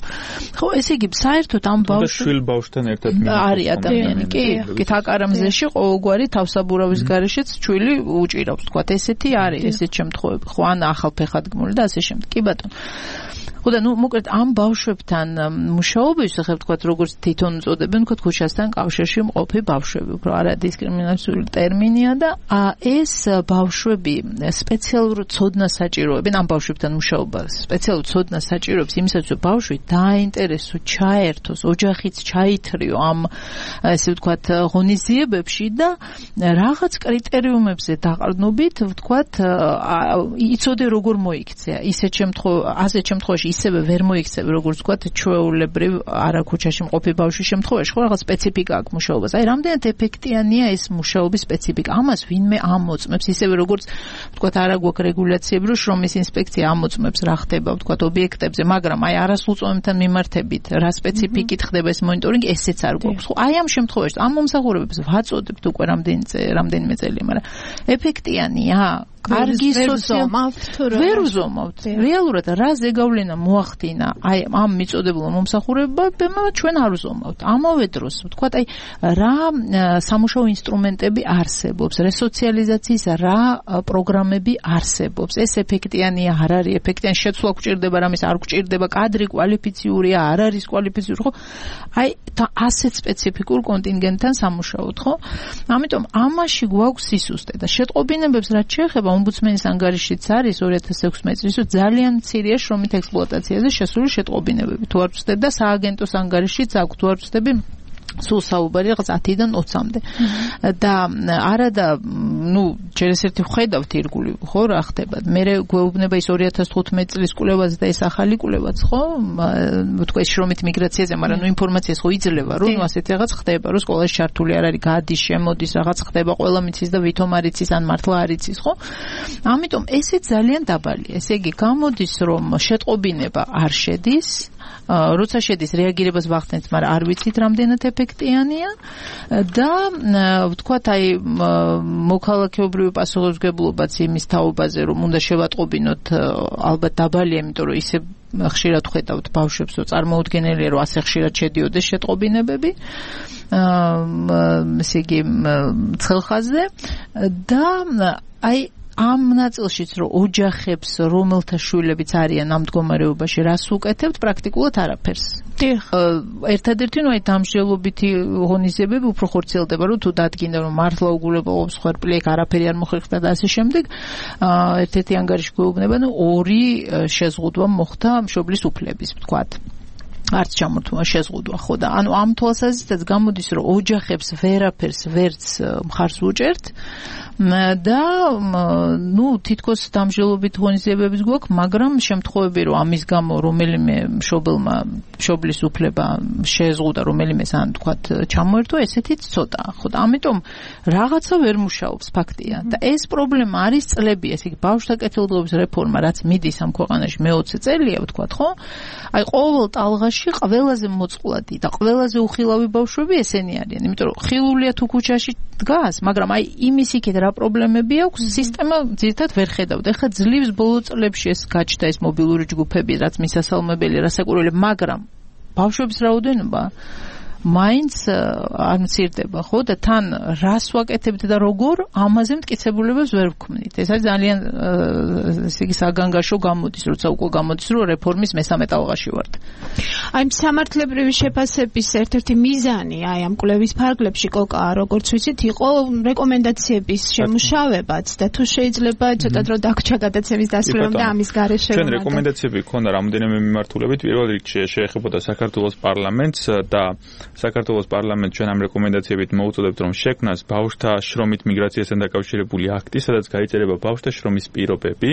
ხო, ესე იგი, საერთოდ ამ ბავშვს შვილ ბავშვთან ერთად არის ადამიანი, კი. კი, თაკარამზეში ყოველგვარი თავსაბურავის გარეშეც ჩვილი უჭირავს, თქვათ, ესეთი არის, ესეთ შემთხვევები. ხო, ან ახალფეხადგმული და ასე შემდეგ. კი ბატონო. ხო და მოკლედ ამ ბავშვებთან მუშაობისთვის ახლა ვთქვათ როგორც თვითონ უწოდებენ ვთქვათ ქუჩასთან კავშირში მყოფი ბავშვები, უფრო არა დისკრიმინაციული ტერმინია და ეს ბავშვები სპეციალურ ცოდნას საჭიროებენ ამ ბავშვებთან მუშაობა სპეციალურ ცოდნას საჭიროებს იმისათვის რომ ბავშვი დაინტერესო, ჩაერთოს, ოჯახიც ჩაითრიო ამ ესე ვთქვათ ღონისძიებებში და რაღაც კრიტერიუმებზე დაყრდნობით ვთქვათ იცოდე როგორ მოიქცია ასეთ შემთხვევაში ისევე ვერ მოიქცევ როგორც ვთქვათ ჩვეულებრივ არა ქუჩაში მყოფი ბავშვის შემთხვევაში ხო რაღაც სპეციფიკა აქვს მუშაობას. აი რამდენად ეფექტიანია ეს მუშაობის სპეციფიკა. ამას ვინმე ამოწმებს ისევე როგორც ვთქვათ არა გვაქვს რეგულაციები რომ შრომის ინსპექცია ამოწმებს რა ხდება ვთქვათ ობიექტებზე, მაგრამ აი არასრულწლოვანებთან მიმართებით რა სპეციფიკით ხდება ეს მონიტორინგი ესეც არ გვაქვს. ხო აი ამ შემთხვევაში ამ მომსახურებებს ვაწოდებთ უკვე რამდენიმე წელი, მაგრამ ეფექტიანია კარგი ვერ უზომავთ. რეალურად რა ზეგავლენა მოახდინა აი ამ მიწოდებულ მომსახურებებმა ჩვენ არ უზომავთ. ამავე დროს ვთქვათ აი რა სამუშაო ინსტრუმენტები არსებობს, რესოციალიზაციის რა პროგრამები არსებობს. ეს ეფექტიანია, არ არის ეფექტიანი, შეცვლა გვჭირდება, რამის არ გვჭირდება, კადრი კვალიფიციურია, არ არის კვალიფიციური, ხო? აი ასეთ სპეციფიკურ კონტინგენტთან სამუშაოთ, ხო? ამიტომ ამაში გვაქვს სისუსტე და შეტყობინებებს რაც შეეხება ომბუდსმენის ანგარიშიც არის 2016 წლის ძალიან მცირეა შრომით ექსპლუატაციაზე შესული შეტყობინებები. თუ არ ვწდებ და სააგენტოს ანგარიშიც აქვს, თუ არ ვწდები სულ საუბარი რაღაც 10-დან 20-მდე. და არადა, ჯერ ეს ერთი ვხედავთ ირგული, ხო, რა ხდება. მე გვეუბნება ის 2015 წლის კვლევაზე და ეს ახალი კვლევაც, ხო? თქვა ეს შრომით მიგრაციაზე, მაგრამ ინფორმაციას ხო იძლევა, რომ ასეთი რაღაც ხდება, რომ სკოლაში ჩართული არ არის, გადის, შემოდის, რაღაც ხდება, ყველა მიცის და ვითომ არ იცის, ან მართლა არ იცის, ხო? ამიტომ ესე ძალიან დაბალია. ესე იგი, გამოდის, რომ შეტყობინება არ შედის, როცა შედის რეაგირებას ვახდენთ, მაგრამ არ ვიცით რამდენად ეფექტიანია და ვთქვათ აი მოქალაქეობრივი პასუხისმგებლობაც იმის თაობაზე რომ უნდა შევატყობინოთ ალბათ დაბალია, იმიტომ რომ ისე ხშირად ხედავთ ბავშვებს, რომ წარმოუდგენელია რომ ასე ხშირად შედიოდეს შეტყობინებები ესე იგი ცხელხაზზე და აი ამ ნაწილშიც რომ ოჯახებს რომელთა შვილებიც არიან ამ მდგომარეობაში რას უკეთებთ პრაქტიკულად არაფერს. ერთადერთი აი დამსჯელობითი ღონისძიებები უფრო ხორციელდება რომ თუ დადგინდა რომ მართლა უგულებელობს ხვერპლი ეგ არაფერი არ მოხერხდა და ასე შემდეგ ერთ-ერთი ანგარიში გვეუბნება 2 შეზღუდვა მოხდა მშობლის უფლების ვთქვათ. არც ჩამორთმევა შეზღუდვა ხო და ანუ ამ თვალსაზრისითაც გამოდის რომ ოჯახებს ვერაფერს ვერც მხარს უჭერთ და თითქოს დამსჯელობით ღონისძიებებიც გვაქვს, მაგრამ შემთხვევები რომ ამის გამო რომელიმე მშობელმა მშობლის უფლება შეზღუდა რომელიმეს ან თქვათ ჩამოერთვა, ესეთიც ცოტაა. ხო და ამიტომ რაღაცა ვერ მუშაობს ფაქტია და ეს პრობლემა არის წლები, ესე იგი ბავშვთა კეთილდღეობის რეფორმა რაც მიდის ამ ქვეყანაში მე-20 წელია ვთქვათ, ხო? აი ყოველ ტალღაში ყველაზე მოწყვლადი და ყველაზე უხილავი ბავშვები ესენი არიან, იმიტომ რომ ხილულია თუ ქუჩაში დგას, მაგრამ აი იმის იქით რა პრობლემები აქვს, სისტემა ძირითადად ვერ ხედავდა. ეხლა ძლივს ბოლო წლებში ეს გაჩნდა ეს მობილური ჯგუფები, რაც მისასალმებელი, რასაკურველი, მაგრამ ბავშვების რაოდენობა მაინც არ მცირდება, ხო და თან რას ვაკეთებთ და როგორ ამაზე მტკიცებულებებს ვერ ვქმნით. ეს არის ძალიან ესე იგი საგანგაშო გამოდის, როცა უკვე გამოდის, რომ რეფორმის მესამე ტალღაში ვართ. აი სამართლებრივი შეფასების ერთ-ერთი მიზანი აი ამ კვლევის ფარგლებში კოკა, როგორც ვიცით, იყო რეკომენდაციების შემუშავებაც და თუ შეიძლება ცოტა დრო დაგჭა გადაცემის დასრულებამდე ამის გარეშე. ჩვენ რეკომენდაციები გქონდა რამოდენიმე მიმართულებით, პირველ რიგში შეეხებოდა საქართველოს პარლამენტს და საქართველოს პარლამენტს ჩვენ ამ რეკომენდაციებით მოუწოდებთ რომ შექმნას ბავშვთა შრომით მიგრაციასთან დაკავშირებული აქტი, სადაც გაიწერება ბავშვთა შრომის პირობები,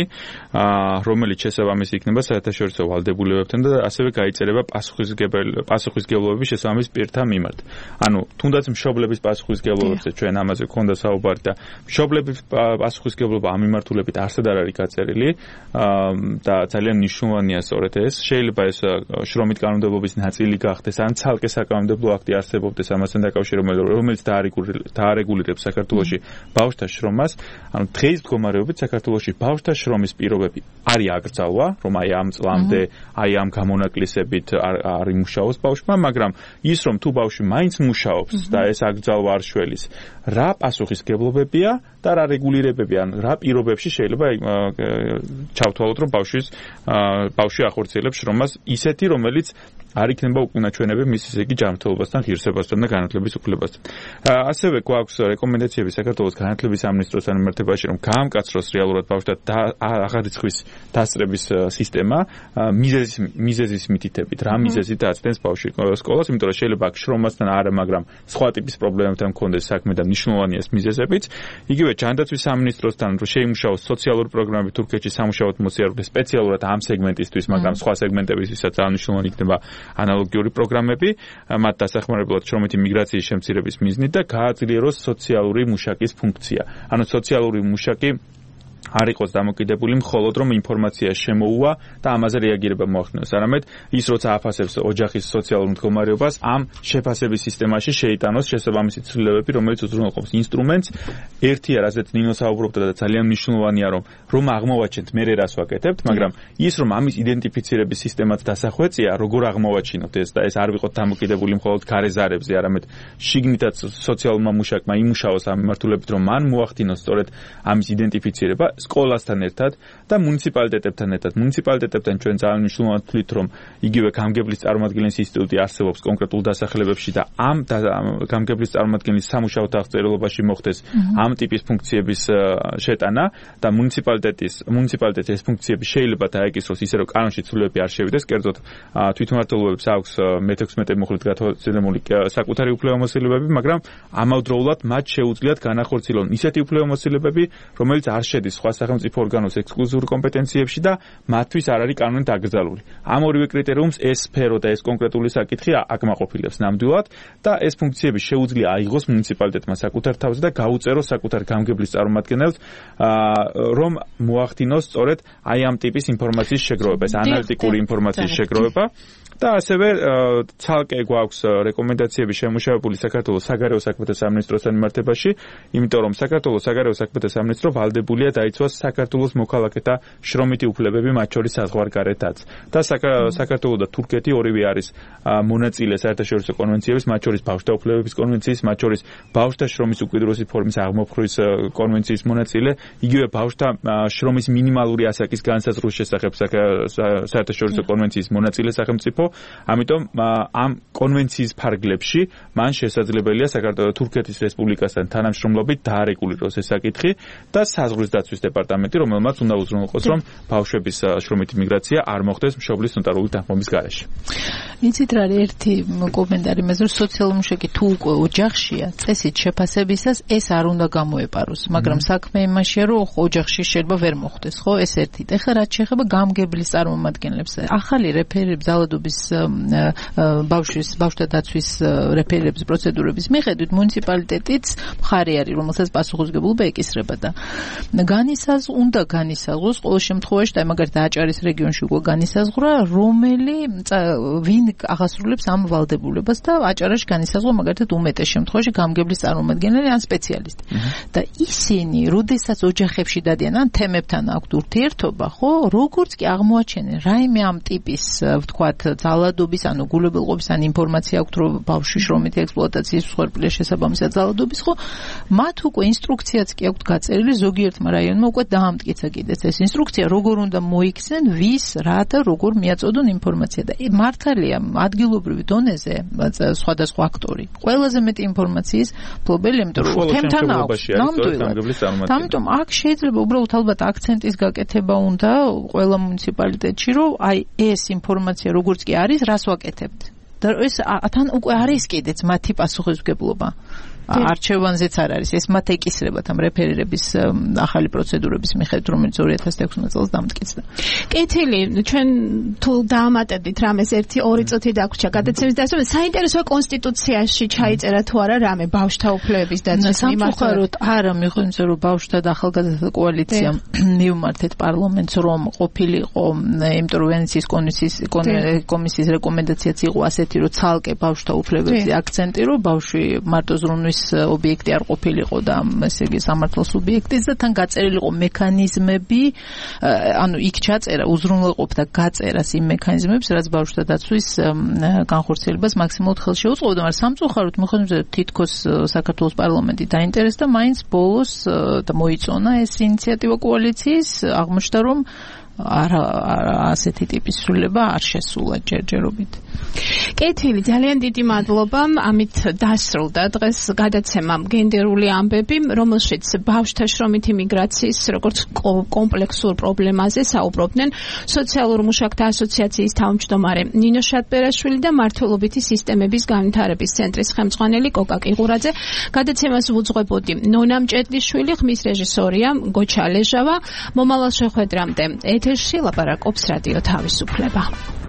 რომელიც შესაბამისი იქნება საერთაშორისო ვალდებულებებთან და ასევე გაიწერება პასუხისმგებლობები შესაბამის პირთა მიმართ. ანუ თუნდაც მშობლების პასუხისმგებლობებზე ჩვენ ამაზე გქონდა საუბარი და მშობლების პასუხისმგებლობა ამ მიმართულებით არსად არ არის გაწერილი და ძალიან მნიშვნელოვანია სწორედ ეს. შეიძლება ეს შრომით კანონმდებლობის ნაწილი გახდეს ან ცალკე საკანონმდებლო აქტი არსებობდეს ამასთან დაკავშირებით, რომელიც დაარეგულირებს საქართველოში ბავშვთა შრომას. ანუ დღეს მდგომარეობით საქართველოში ბავშვთა შრომის პირობები არის აკრძალვა, რომ აი ამ წლამდე აი ამ გამონაკლისებით არ იმუშაოს ბავშვმა, მაგრამ ის რომ თუ ბავშვი მაინც მუშაობს და ეს აკრძალვა არ შველის, რა პასუხისმგებლობებია და რა რეგულირებები, ან რა პირობებში შეიძლება ჩავთვალოთ, რომ ბავშვი ახორციელებს შრომას ისეთი, რომელიც არ იქნება უკუნაჩვენები მის ისე იგი ჯანმრთელობასთან, ღირსებასთან და განათლების უფლებასთან. ასევე გვაქვს რეკომენდაციები საქართველოს განათლების სამინისტროსთან მიმართებაში, რომ გაამკაცროს რეალურად ბავშვთა აღარიცხვის დასწრების სისტემა მიზეზის მითითებით, რა მიზეზით აცდენს ბავშვი სკოლას, იმიტომ რომ შეიძლება აქ შრომასთან არა, მაგრამ სხვა ტიპის პრობლემებთან მქონდეს საქმე და მნიშვნელოვანია ეს მიზეზებიც. იგივე ჯანდაცვის სამინისტროსთან რომ შეიმუშაოს სოციალური პროგრამები თურქეთში სამუშაოდ მოსიარულე სპეციალურად ამ სეგმენტისთვის, მაგრამ სხვა სეგმენტებისთვისაც აღნიშნულოვანი იქნება ანალოგიური პროგრამები, მათ დასახმარებლად შრომითი მიგრაციის შემცირების მიზნით და გააძლიეროს სოციალური მუშაკის ფუნქცია. ანუ სოციალური მუშაკი არ იყოს დამოკიდებული მხოლოდ რომ ინფორმაცია შემოუვა და ამაზე რეაგირება მოახდინოს, არამედ ის როცა აფასებს ოჯახის სოციალურ მდგომარეობას, ამ შეფასების სისტემაში შეიტანოს შესაბამისი ცვლილებები, რომელიც უზრუნველყოფს ინსტრუმენტს. ერთია, რაზეც ნინო საუბრობდა და ძალიან მნიშვნელოვანია, რომ აღმოვაჩენთ მე რას ვაკეთებთ, მაგრამ ის რომ ამის იდენტიფიცირების სისტემაც დასახვეწია, როგორ აღმოვაჩინოთ ეს და ეს არ ვიყოთ დამოკიდებული მხოლოდ გარეზარებზე, არამედ შიგნითაც სოციალურმა მუშაკმა იმუშაოს ამ მიმართულებით, რომ მან მოახდინოს სწორედ ამის იდენტიფიცირება სკოლასთან ერთად და მუნიციპალიტეტებთან ერთად. მუნიციპალიტეტებთან ჩვენ ძალიან მნიშვნელოვნად ვთვლით, რომ იგივე გამგებლის წარმომადგენლის ინსტიტუტი არსებობს კონკრეტულ დასახელებებში და ამ გამგებლის წარმომადგენლის სამუშაო აღწერილობაში მოხდეს ამ ტიპის ფუნქციების შეტანა და მუნიციპალიტეტის ეს ფუნქციები შეიძლება დაეკისროს ისე რომ კანონში ცვლილებები არ შევიდეს, კერძოდ თვითმმართველობებს აქვს მე-16 მუხლით გათვალისწინებული საკუთარი უფლებამოსილებები, მაგრამ ამავდროულად მათ შეუძლიათ განახორციელონ ისეთი უფლებამოსილებები, რომელიც არ შედის სხვა სახელმწიფო ორგანოს ექსკლუზიურ კომპეტენციებში და მათთვის არ არის კანონით აკრძალული. ამ ორივე კრიტერიუმს ეს სფერო და ეს კონკრეტული საკითხი აკმაყოფილებს ნამდვილად და ეს ფუნქციები შეუძლია აიღოს მუნიციპალიტეტმა საკუთარ თავზე და გაუწეროს საკუთარ გამგებლის წარმომადგენელს, რომ მოახდინოს სწორედ აი ამ ტიპის ინფორმაციის შეგროვება, ეს ანალიტიკური ინფორმაციის შეგროვება. და ასევე ცალკე გვაქვს რეკომენდაციები შემუშავებული საქართველოს საგარეო საქმეთა სამინისტროსთან მიმართებაში, იმიტომ რომ საქართველოს საგარეო საქმეთა სამინისტრო ვალდებულია დაიცვას საქართველოს მოქალაქეთა შრომითი უფლებები, მათ შორის საზღვარგარეთაც. და საქართველო და თურქეთი ორივე არის მონაწილე საერთაშორისო კონვენციების, მათ შორის ბავშვთა უფლებების კონვენციის, მათ შორის ბავშვთა შრომის უკიდურესი ფორმის აღმოფხვრვის კონვენციის მონაწილე, იგივე ბავშვთა შრომის მინიმალური ასაკის განსაზღვრის შესახებ საერთაშორისო კონვენციის მონაწილე სახელმწიფო. ამიტომ ამ კონვენციის ფარგლებში მან შესაძლებელია საქართველოს თურქეთის რესპუბლიკასთან თანამშრომლობით დაარეგულიროს ეს საკითხი და საზღვრის დაცვის დეპარტამენტი, რომელმაც უნდა უზრუნველყოს, რომ ბავშვების შრომითი მიგრაცია არ მოხდეს მშობლის ნოტარული თანხმობის გარეშე. იცით რა, ერთი კომენტარი მეძრო, სოციალური მუშაკი თუ უკვე ოჯახშია, წესით შეფასებისას ეს არ უნდა გამოეპაროს, მაგრამ საქმე იმაშია, რომ ოჯახში შეიძლება ვერ მოხდეს, ხო? ეს ერთი. ეხლა რაც შეეხება გამგებლის წარმომადგენლებს, ახალი რეფერირების ძალადობის ბავშვთა დაცვის რეფერირების პროცედურების მიხედვით მუნიციპალიტეტიც მხარი არის, რომელსაც პასუხისმგებლობა ეკისრება და უნდა განისაზღვროს ყოველ შემთხვევაში და მაგალითად აჭარის რეგიონში უკვე განისაზღვრა, ვინ აღასრულებს ამ ვალდებულებას და აჭარაში განისაზღვრა მაგალითად უმეტეს შემთხვევაში გამგებლის წარმომადგენელი ან სპეციალისტი. და ისინი, როდესაც ოჯახებში დადიან ან თემებთან აქვთ ურთიერთობა, ხო, როგორც კი აღმოაჩენენ რაიმე ამ ტიპის, ვთქვათ, ძალადობის, ანუ გულებელყოფის, ან ინფორმაცია აქვთ, რომ ბავშვი შრომითი ექსპლუატაციის მსხვერპლია შესაბამისად ძალადობის, ხო, მათ უკვე ინსტრუქციაც კი აქვთ გაწერილი, ზოგიერთმა რაიონმა უკვე დაამტკიცა კიდეც ეს ინსტრუქცია, როგორ უნდა მოიქცნენ, ვის, რა და როგორ მიაწოდონ ინფორმაცია და მართალია ადგილობრივი დონეზე სხვადასხვა აქტორი ყველაზე მეტი ინფორმაციის ფლობელი, იმიტომ რომ თემთან აქვს ნამდვილად. ამიტომ აქ შეიძლება უბრალოდ ალბათ აქცენტის გაკეთება უნდა ყველა მუნიციპალიტეტში, რომ აი ეს ინფორმაცია როგორც კი არის, რას ვაკეთებთ. და ეს თან უკვე არის კიდეც მათი პასუხისმგებლობა. არჩევანზეც არ არის. ეს მათ ეკისრებათ ამ რეფერირების ახალი პროცედურების მიხედვით, რომელიც 2016 წელს დამტკიცდა. კეთილი, ჩვენ თუ დაამატებდით რამეს 1-2 წუთი დაგვრჩა გადაცემის დასწრება, საინტერესოა კონსტიტუციაში ჩაიწერა თუ არა რამე ბავშვთა უფლებების დაცვის მიმართულებით. არა, მიხვდით რომ ბავშვთა და ახალგაზრდათა კოალიციამ მიუმართეთ პარლამენტს, რომ ყოფილიყო ინტერვენციის კომისიის რეკომენდაციაც იყო ასეთი, რომ ცალკე ბავშვთა უფლებებზე აქცენტი, რომ ბავშვი მარტო ზრუნვის ობიექტი არ ყოფილიყო და ესე იგი სამართლის სუბიექტის და თან გაწერილიყო მექანიზმები, ანუ იქ ჩაწერა უზრუნველყოფდა გაწერას იმ მექანიზმებს, რაც ბავშვთა დაცვის განხორციელებას მაქსიმალურად ხელს შეუწყობდა, მაგრამ სამწუხაროდ მიხედვით თითქოს საქართველოს პარლამენტი დაინტერესდა, მაინც ბოლოს და მოიწონა ეს ინიციატივა კოალიციის, აღმოჩნდა რომ ასეთი ტიპის სრულება არ შესულა ჯერჯერობით. კეთილი, ძალიან დიდი მადლობა. ამით დასრულდა დღეს გადაცემა გენდერული ამბები, რომელშიც ბავშვთა შრომითი მიგრაციის როგორც კომპლექსურ პრობლემაზე საუბრობდნენ სოციალურ მუშაკთა ასოციაციის თავმჯდომარე ნინო შატბერაშვილი და მართლობითი სისტემების განვითარების ცენტრის ხელმძღვანელი კოკა კიღურაძე. გადაცემას უძღვებოდი ნონა მჭედლიშვილი, ხმის რეჟისორია გოჩა ლეჟავა. მომავალ შეხვედრამდე ეთერში ლაპარაკობს რადიო თავისუფლება.